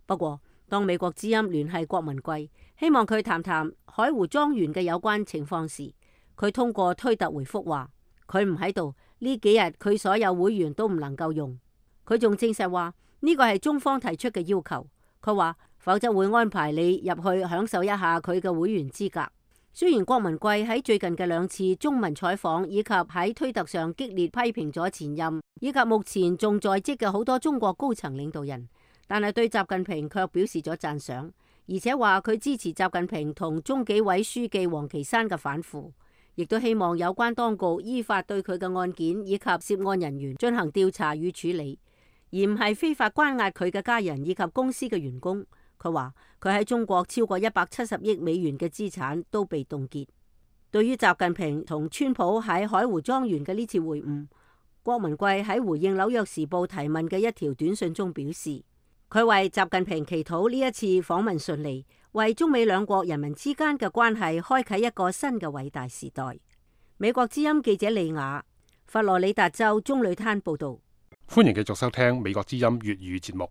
[SPEAKER 9] 不過，當美國之音聯繫郭文貴，希望佢談談海湖莊園嘅有關情況時，佢通過推特回覆話，佢唔喺度，呢幾日佢所有會員都唔能夠用。佢仲證實話呢個係中方提出嘅要求，佢話否則會安排你入去享受一下佢嘅會員資格。雖然郭文貴喺最近嘅兩次中文採訪以及喺推特上激烈批評咗前任以及目前仲在職嘅好多中國高層領導人，但係對習近平卻表示咗讚賞，而且話佢支持習近平同中紀委書記王岐山嘅反腐，亦都希望有關當局依法對佢嘅案件以及涉案人員進行調查與處理，而唔係非法關押佢嘅家人以及公司嘅員工。佢話佢喺中國超過一百七十億美元嘅資產都被凍結。對於習近平同川普喺海湖莊園嘅呢次會晤，郭文貴喺回應紐約時報提問嘅一條短信中表示，佢為習近平祈禱呢一次訪問順利，為中美兩國人民之間嘅關係開啟一個新嘅偉大時代。美國之音記者李雅，佛羅里達州棕櫚灘報道。
[SPEAKER 1] 歡迎繼續收聽美國之音粵語節目。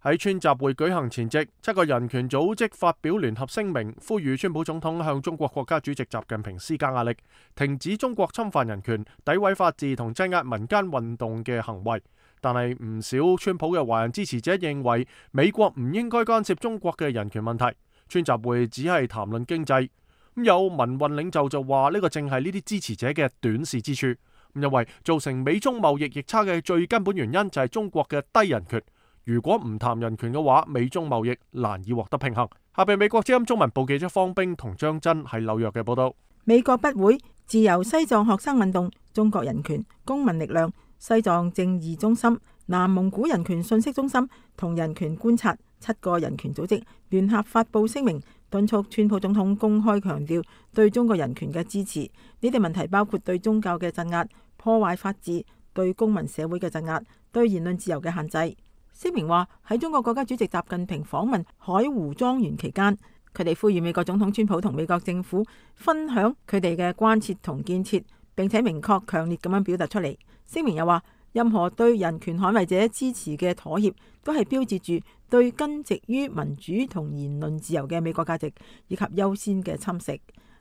[SPEAKER 1] 喺川習會舉行前夕，七個人權組織發表聯合聲明，呼籲川普總統向中國國家主席習近平施加壓力，停止中國侵犯人權、詆毀法治同鎮壓民間運動嘅行為。但係唔少川普嘅華人支持者認為，美國唔應該干涉中國嘅人權問題。川習會只係談論經濟。咁有民運領袖就話呢個正係呢啲支持者嘅短視之處，因為造成美中貿易逆差嘅最根本原因就係中國嘅低人權。如果唔談人權嘅話，美中貿易難以獲得平衡。下邊美國之音中文部記者方冰同張真喺紐約嘅報道。
[SPEAKER 6] 美國不會自由西藏學生運動、中國人權、公民力量、西藏正義中心、南蒙古人權信息中心同人權觀察七個人權組織聯合發布聲明，敦促川普總統公開強調對中國人權嘅支持。呢啲問題包括對宗教嘅鎮壓、破壞法治、對公民社會嘅鎮壓、對言論自由嘅限制。聲明話喺中國國家主席習近平訪問海湖莊園期間，佢哋呼籲美國總統川普同美國政府分享佢哋嘅關切同建設，並且明確強烈咁樣表達出嚟。聲明又話，任何對人權捍衛者支持嘅妥協，都係標誌住對根植於民主同言論自由嘅美國價值以及優先嘅侵蝕。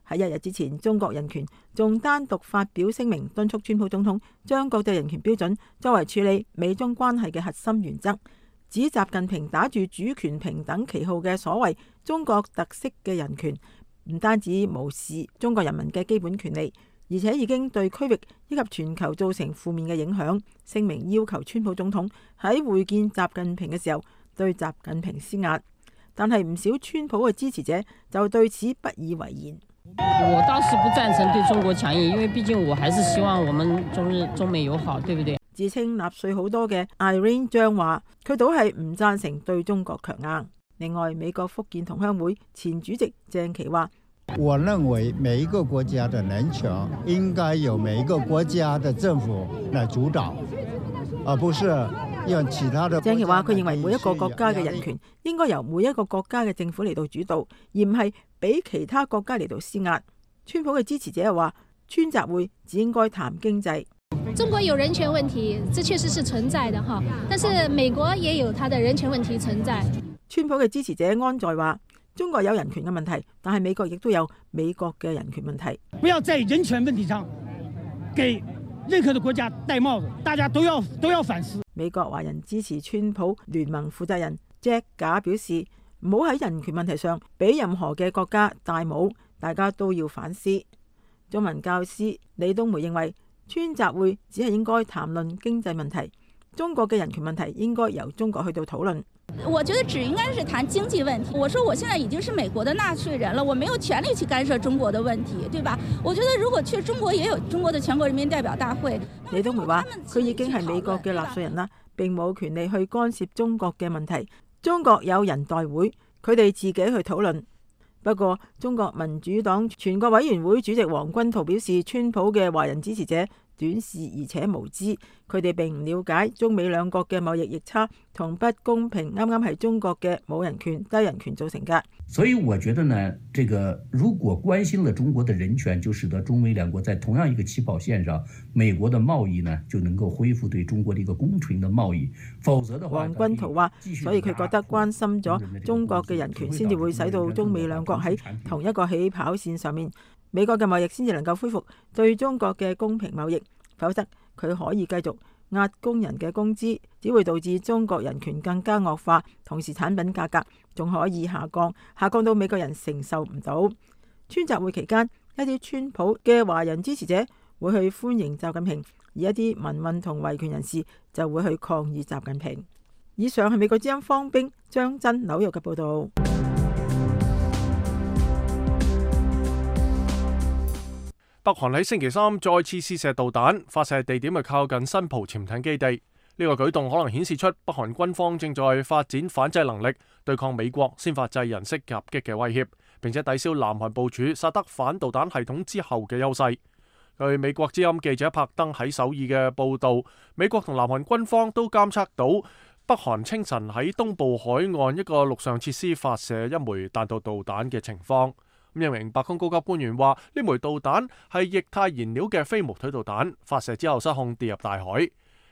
[SPEAKER 6] 喺一日之前，中國人權仲單獨發表聲明，敦促川普總統將國際人權標準作為處理美中關係嘅核心原則，指習近平打住主權平等旗號嘅所謂中國特色嘅人權，唔單止無視中國人民嘅基本權利，而且已經對區域以及全球造成負面嘅影響。聲明要求川普總統喺會見習近平嘅時候對習近平施壓，但係唔少川普嘅支持者就對此不以為然。
[SPEAKER 15] 我倒是不贊成對中國強硬，因為畢竟我還是希望我們中日中美友好，對不對？
[SPEAKER 6] 自稱納粹好多嘅 Irene 張話，佢倒係唔贊成對中國強硬。另外，美國福建同鄉會前主席鄭其話，
[SPEAKER 16] 我認為每一個國家的人權應該由每一個國家的政府來主導，而不是讓其他的。
[SPEAKER 6] 鄭其話，佢認為每一個國家嘅人權應該由每一個國家嘅政府嚟到主導，而唔係俾其他國家嚟到施壓。川普嘅支持者又話，川習會只應該談經濟。
[SPEAKER 17] 中國有人權問題，這確實是存在的哈，但是美國也有它的人權問題存在。
[SPEAKER 6] 川普嘅支持者安在話，中國有人權嘅問題，但係美國亦都有美國嘅人權問題。
[SPEAKER 18] 不要在人權問題上給任何的國家戴帽子，大家都要都要反思。
[SPEAKER 6] 美國華人支持川普聯盟負責人 Jack 賈表示，唔好喺人權問題上俾任何嘅國家戴帽，大家都要反思。中文教師李東梅認為，川習會只係應該談論經濟問題，中國嘅人權問題應該由中國去到討論。
[SPEAKER 19] 我覺得只應該是談經濟問題。我說我現在已經是美國的納稅人了，我沒有權利去干涉中國的問題，對吧？我覺得如果去中國也有中國的全國人民代表大會。
[SPEAKER 6] 李東梅話：佢已經係美國嘅納稅人啦，並冇權利去干涉中國嘅問題。中國有人代會，佢哋自己去討論。不過，中國民主黨全國委員會主席王軍濤表示，川普嘅華人支持者短視而且無知，佢哋並唔了解中美兩國嘅貿易逆差同不公平，啱啱係中國嘅冇人權、低人權造成嘅。
[SPEAKER 20] 所以我覺得呢，這個如果關心了中國的人權，就使得中美兩國在同樣一個起跑線上，美國的貿易呢就能夠恢復對中國的一個公平的貿易。否則的話，
[SPEAKER 6] 王軍濤話，所以佢覺得關心咗中國嘅人權，先至會使到中美兩國喺同一個起跑線上面，美國嘅貿易先至能夠恢復對中國嘅公平貿易。否則佢可以繼續壓工人嘅工資，只會導致中國人權更加惡化，同時產品價格仲可以下降，下降到美國人承受唔到。川習會期間，一啲川普嘅華人支持者會去歡迎習近平，而一啲民運同維權人士就會去抗議習近平。以上係美國之音方冰張真紐約嘅報導。
[SPEAKER 1] 北韓喺星期三再次試射導彈，發射地點係靠近新浦潛艇基地。呢個舉動可能顯示出北韓軍方正在發展反制能力，對抗美國先發制人式夾擊嘅威脅，並且抵消南韓部署薩德反導彈系統之後嘅優勢。據美國之音記者柏登喺首爾嘅報導，美國同南韓軍方都監測到北韓清晨喺東部海岸一個陸上設施發射一枚彈道導彈嘅情況。一名白宮高級官員話：呢枚導彈係液態燃料嘅飛毛腿導彈，發射之後失控跌入大海。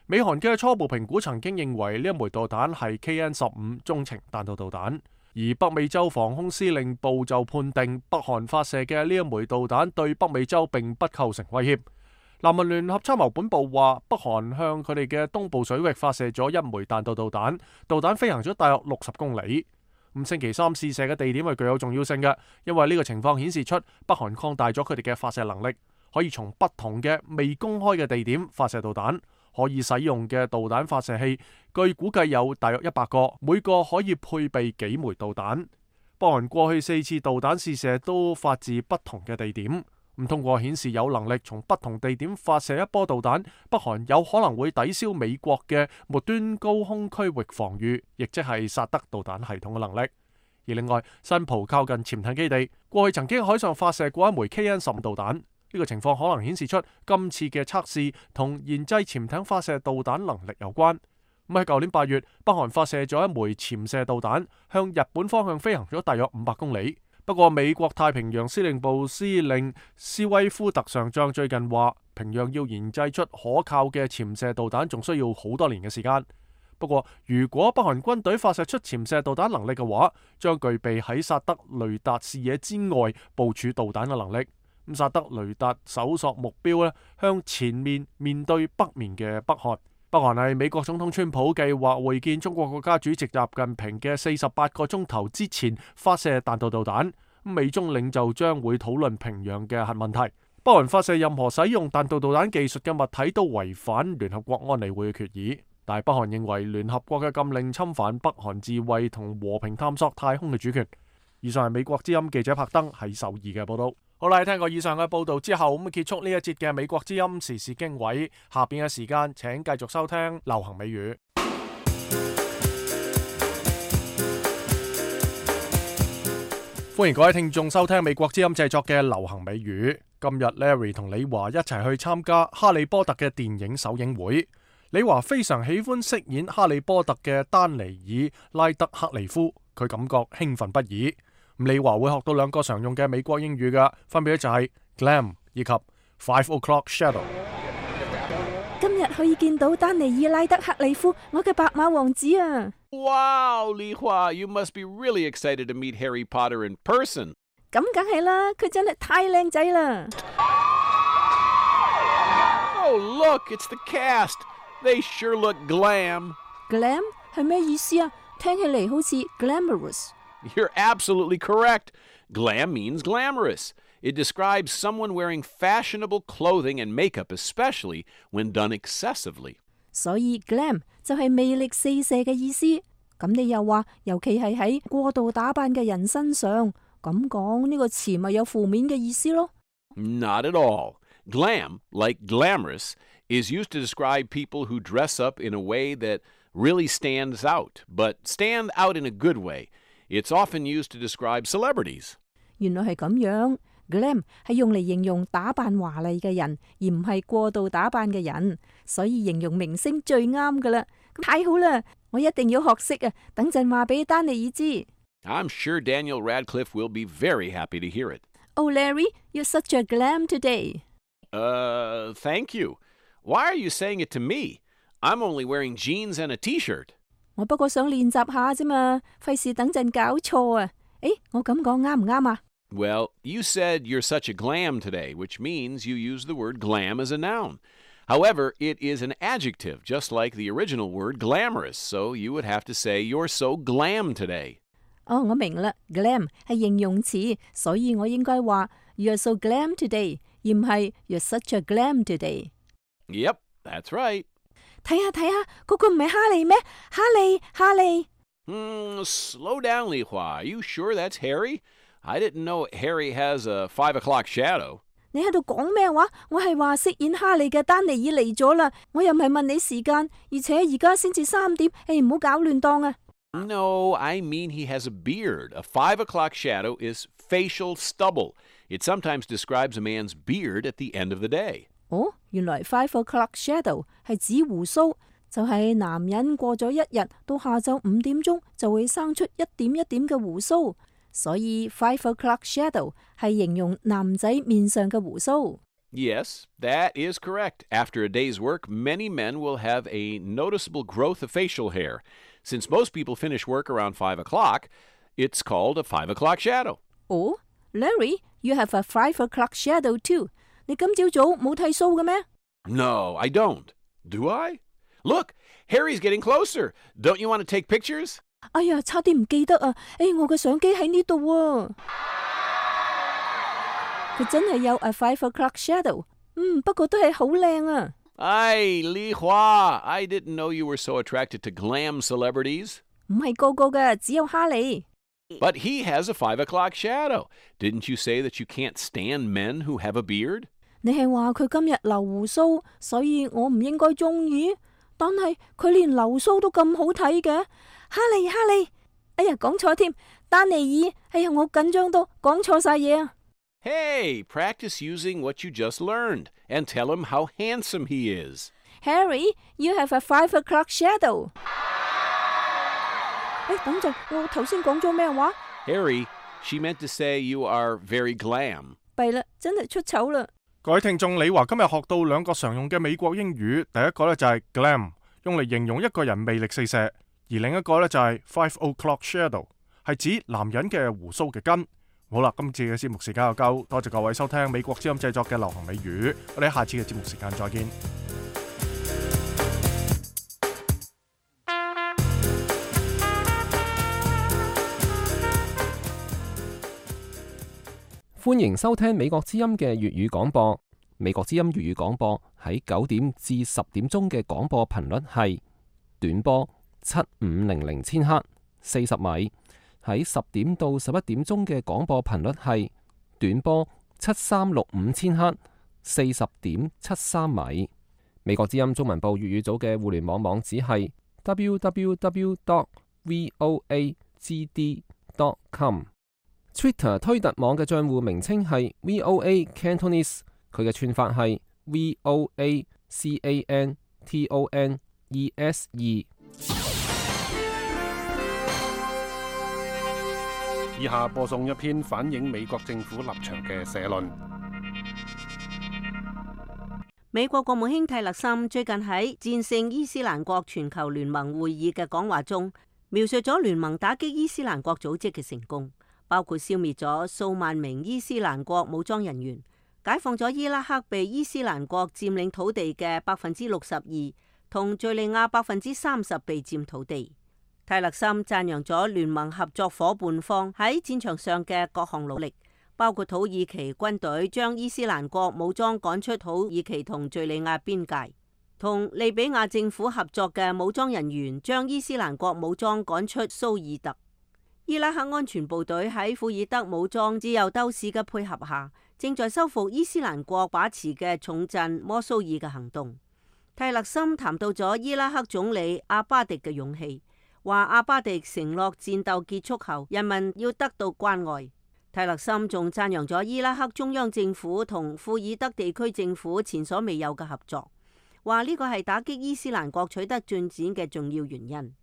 [SPEAKER 1] 美韓嘅初步評估曾經認為呢一枚導彈係 K N 十五中程彈道導彈，而北美洲防空司令部就判定北韓發射嘅呢一枚導彈對北美洲並不構成威脅。南韓聯合參謀本部話，北韓向佢哋嘅東部水域發射咗一枚彈道導彈，導彈飛行咗大約六十公里。咁星期三試射嘅地點係具有重要性嘅，因為呢個情況顯示出北韓擴大咗佢哋嘅發射能力，可以從不同嘅未公開嘅地點發射導彈。可以使用嘅導彈發射器據估計有大約一百個，每個可以配備幾枚導彈。北韓過去四次導彈試射都發自不同嘅地點。咁通過顯示有能力從不同地點發射一波導彈，北韓有可能會抵消美國嘅末端高空區域防禦，亦即係薩德導彈系統嘅能力。而另外，新浦靠近潛艇基地，過去曾經海上發射過一枚 K N 十五導彈，呢、這個情況可能顯示出今次嘅測試同研製潛艇發射導彈能力有關。咁喺舊年八月，北韓發射咗一枚潛射導彈，向日本方向飛行咗大約五百公里。不過，美國太平洋司令部司令斯威夫特上將最近話，平壤要研製出可靠嘅潛射導彈，仲需要好多年嘅時間。不過，如果北韓軍隊發射出潛射導彈能力嘅話，將具備喺薩德雷達視野之外部署導彈嘅能力。咁薩德雷達搜索目標咧，向前面面對北面嘅北韓。北韓係美國總統川普計劃會見中國國家主席習近平嘅四十八個鐘頭之前發射彈道導彈。美中領袖將會討論平壤嘅核問題。北韓發射任何使用彈道導彈技術嘅物體都違反聯合國安理會嘅決議。但係北韓認為聯合國嘅禁令侵犯北韓自衛同和平探索太空嘅主權。以上係美國之音記者柏登喺首爾嘅報道。好啦，聽過以上嘅報道之後，咁結束呢一節嘅美國之音時事經緯。下邊嘅時間，請繼續收聽流行美語。歡迎各位聽眾收聽美國之音製作嘅流行美語。今日 Larry 同李華一齊去參加哈利波特嘅電影首映會。李華非常喜歡飾演哈利波特嘅丹尼爾拉德克利夫，佢感覺興奮不已。李華會學到兩個常用嘅美國英語嘅，分別就係 glam 以及 five o'clock shadow。
[SPEAKER 21] 今日可以見到丹尼爾拉德克利夫，我嘅白馬王子啊！
[SPEAKER 22] Wow, Li Hua, you must be really excited to meet Harry Potter in person.
[SPEAKER 21] 咁梗係啦，佢真係太靚仔啦！
[SPEAKER 22] Oh, look, it's the cast. They sure look glam.
[SPEAKER 21] Glam 係咩意思啊？聽起嚟好似 glamorous。
[SPEAKER 22] You're absolutely correct. Glam means glamorous. It describes someone wearing fashionable clothing and makeup, especially when done excessively.
[SPEAKER 21] 所以 glam 就係魅力四射嘅意思。咁你又話，尤其係喺過度打扮嘅人身上，咁講呢個詞咪有負面嘅意思咯？
[SPEAKER 22] Not at all. Glam, like glamorous, is used to describe people who dress up in a way that really stands out, but stand out in a good way. It's often used to describe celebrities.
[SPEAKER 21] 原來係咁樣。Glam 係用嚟形容打扮華麗嘅人，而唔係過度打扮嘅人，所以形容明星最啱噶啦。太好啦，我一定要學識啊！等陣話俾丹尼爾知。
[SPEAKER 22] I'm sure Daniel Radcliffe will be very happy to hear it.
[SPEAKER 21] Oh, Larry, you're such a glam today.
[SPEAKER 22] Uh, thank you. Why are you saying it to me? I'm only wearing jeans and a T-shirt.
[SPEAKER 21] 我不過想練習下啫嘛，費事等陣搞錯啊！誒，我咁講啱唔啱啊？
[SPEAKER 22] Well, you said you're such a glam today, which means you use the word glam as a noun. However, it is an adjective, just like the original word glamorous, so you would have to say you're so glam today.
[SPEAKER 21] 哦，我明啦 ，glam 係形容詞，所以我應該話 You're so glam today， 而唔係 You're such a glam today。
[SPEAKER 22] Yep, that's right.
[SPEAKER 21] 睇下睇下，嗰個唔係哈利咩？哈利，哈利。
[SPEAKER 22] Hmm, slow down, Li Hua. Are you sure that's Harry? I didn't know Harry has a five o'clock shadow.
[SPEAKER 21] 你喺度講咩話？我係話飾演哈利嘅丹尼爾嚟咗啦，我又唔係問你時間，而且而家先至三點，誒唔好搞亂檔啊！
[SPEAKER 22] No, I mean he has a beard. A five o'clock shadow is facial stubble. It sometimes describes a man's beard at the end of the day.
[SPEAKER 21] 哦，原來 five o'clock shadow 係指鬍鬚，就係男人過咗一日到下晝五點鐘就會生出一點一點嘅鬍鬚。所以 five o'clock shadow 係形容男仔面上嘅鬍鬚。
[SPEAKER 22] Yes, that is correct. After a day's work, many men will have a noticeable growth of facial hair. Since most people finish work around five o'clock, it's called a five o'clock shadow.
[SPEAKER 21] Oh, Larry, you have a five o'clock shadow too. 你今朝早冇剃鬚嘅咩？
[SPEAKER 22] No, I don't. Do I? Look, Harry's getting closer. Don't you want to take pictures?
[SPEAKER 21] 哎呀，差啲唔記得啊！誒，我嘅相機喺呢度啊！佢真係有 a five o'clock shadow， 嗯，不過都係好靚啊！
[SPEAKER 22] 唉，Li Hua, I didn't know you were so attracted to glam celebrities.
[SPEAKER 21] 唔係個個嘅，只有哈利。
[SPEAKER 22] But he has a five o'clock shadow. Didn't you say that you can't stand men who have a beard?
[SPEAKER 21] 你係話佢今日留胡鬚，所以我唔應該中意。但係佢連留鬚都咁好睇嘅。哈利，哈利，哎呀，講錯添，丹尼爾，哎呀，我緊張到講錯晒嘢啊！
[SPEAKER 22] Hey, practice using what you just learned and tell him how handsome he is.
[SPEAKER 21] Harry, you have a five o'clock shadow. 誒，等陣，我頭先講咗咩話
[SPEAKER 22] Harry, she meant to say you are very glam.
[SPEAKER 21] 弊啦，真係出醜啦！
[SPEAKER 1] 各位聽眾，李華今日學到兩個常用嘅美國英語，第一個呢就係 glam， 用嚟形容一個人魅力四射。而另一個呢，就係 five o'clock shadow， 係指男人嘅鬍鬚嘅根。好啦，今次嘅節目時間又夠，多謝各位收聽美國之音製作嘅流行美語，我哋下次嘅節目時間再見。
[SPEAKER 2] 歡迎收聽美國之音嘅粵語廣播。美國之音粵語廣播喺九點至十點鐘嘅廣播頻率係短波七五零零千赫四十米，喺十點到十一點鐘嘅廣播頻率係短波七三六五千赫四十點七三米。美國之音中文部粵語組嘅互聯網網址係 w w w dot voa g d dot com。Twitter 推特網嘅賬戶名稱係 V O A Cantonese， 佢嘅串法係 V O A C A N T O N E S E。
[SPEAKER 4] 以下播送一篇反映美國政府立場嘅社論。
[SPEAKER 9] 美國國務卿蒂勒森最近喺戰勝伊斯蘭國全球聯盟會議嘅講話中，描述咗聯盟打擊伊斯蘭國組織嘅成功，包括消滅咗數萬名伊斯蘭國武裝人員、解放咗伊拉克被伊斯蘭國佔領土地嘅百分之六十二，同敘利亞百分之三十被佔土地。泰勒森讚揚咗聯盟合作夥伴方喺戰場上嘅各項努力，包括土耳其軍隊將伊斯蘭國武裝趕出土耳其同敘利亞邊界，同利比亞政府合作嘅武裝人員將伊斯蘭國武裝趕出蘇爾特。伊拉克安全部隊喺庫爾德武裝自由鬥士嘅配合下，正在收復伊斯蘭國把持嘅重鎮摩蘇爾嘅行動。泰勒森談到咗伊拉克總理阿巴迪嘅勇氣，話阿巴迪承諾戰鬥結束後人民要得到關愛。泰勒森仲讚揚咗伊拉克中央政府同庫爾德地區政府前所未有嘅合作，話呢個係打擊伊斯蘭國取得進展嘅重要原因。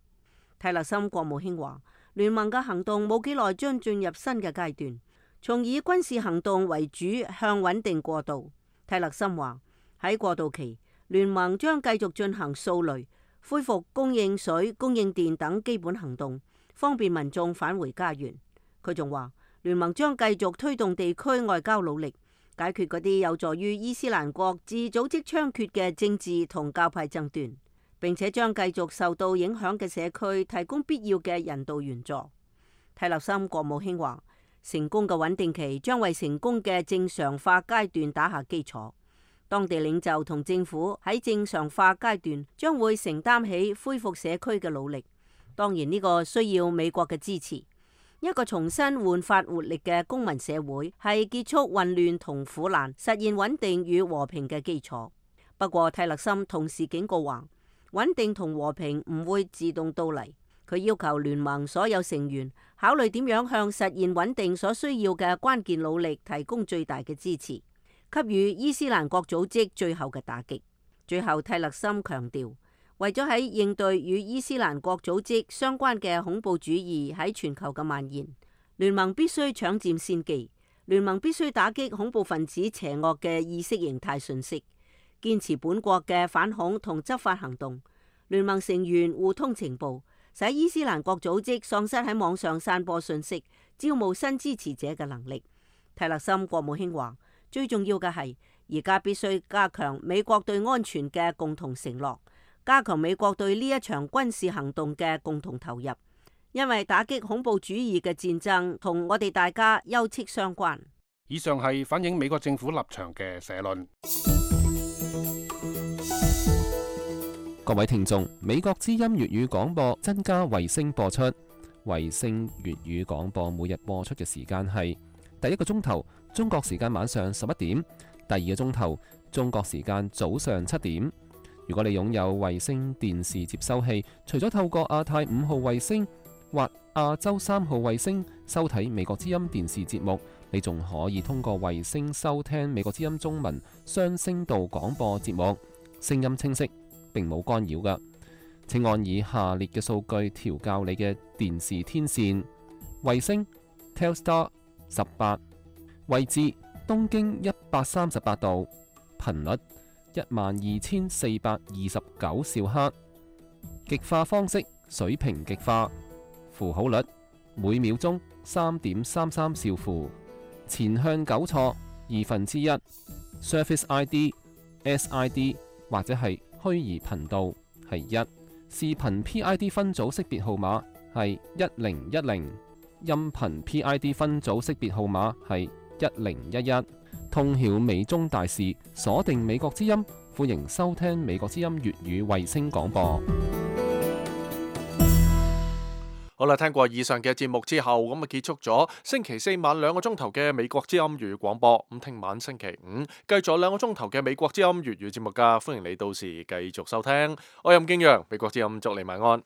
[SPEAKER 9] 泰勒森國務卿話，聯盟嘅行動冇幾耐將進入新嘅階段，從以軍事行動為主向穩定過渡。泰勒森話，喺過渡期，聯盟將繼續進行掃雷、恢復供應水、供應電等基本行動，方便民眾返回家園。佢仲話，聯盟將繼續推動地區外交努力，解決嗰啲有助於伊斯蘭國自組織猖獗嘅政治同教派爭端，並且將繼續受到影響嘅社區提供必要嘅人道援助。泰勒森國務卿話，成功嘅穩定期將為成功嘅正常化階段打下基礎。當地領袖同政府喺正常化階段將會承擔起恢復社區嘅努力。當然呢個需要美國嘅支持。一個重新煥發活力嘅公民社會係結束混亂同苦難、實現穩定與和平嘅基礎。不過泰勒森同時警告話，穩定同和平唔會自動到嚟。佢要求聯盟所有成員考慮點樣向實現穩定所需要嘅關鍵努力提供最大嘅支持，給予伊斯蘭國組織最後嘅打擊。最後泰勒森強調，為咗喺應對與伊斯蘭國組織相關嘅恐怖主義喺全球嘅蔓延，聯盟必須搶佔先機。聯盟必須打擊恐怖分子邪惡嘅意識形態信息，堅持本國嘅反恐同執法行動。聯盟成員互通情報，使伊斯蘭國組織喪失喺網上散播信息、招募新支持者嘅能力。泰勒森國務卿話，最重要嘅係而家必須加強美國對安全嘅共同承諾，加強美國對呢一場軍事行動嘅共同投入，因為打擊恐怖主義嘅戰爭同我哋大家休戚相關。
[SPEAKER 4] 以上係反映美國政府立場嘅社論。
[SPEAKER 2] 各位聽眾，美國之音粵語廣播增加衛星播出，衛星粵語廣播每日播出嘅時間係第一個鐘頭中國時間晚上十一點，第二個鐘頭中國時間早上七點。如果你擁有衛星電視接收器，除咗透過亞太五號衛星或亞洲三號衛星收睇美國之音電視節目，你仲可以通過衛星收聽美國之音中文雙聲道廣播節目，聲音清晰，並冇干擾㗎。請按以下列嘅數據調校你嘅電視天線：衛星 Telstar 十八，位置東經一百三十八度，頻率一萬二千四百二十九兆赫，極化方式水平極化，符號率每秒鐘三點三三兆符，前向糾錯二分之一 ，Surface I D、S I D 或者係虛擬頻道係一，視頻 P I D 分組識別號碼係一零一零，音頻 P I D 分組識別號碼係一零一一。通曉美中大事，鎖定美國之音，歡迎收聽美國之音粵語衛星廣播。
[SPEAKER 1] 好啦，聽過以上嘅節目之後，咁啊結束咗星期四晚兩個鐘頭嘅美國之音粵語廣播。咁聽晚星期五繼續兩個鐘頭嘅美國之音粵語節目噶，歡迎你到時繼續收聽。我係任敬陽，美國之音祝你晚安。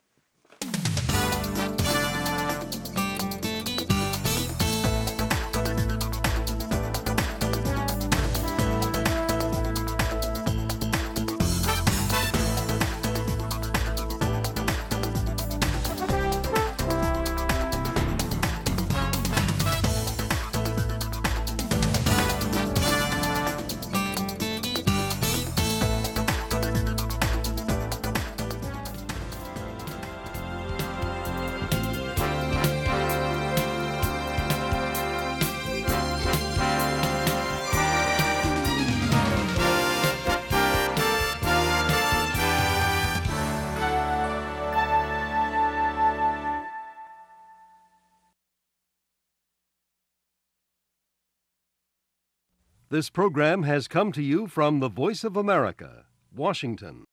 [SPEAKER 7] This program has come to you from the Voice of America, Washington.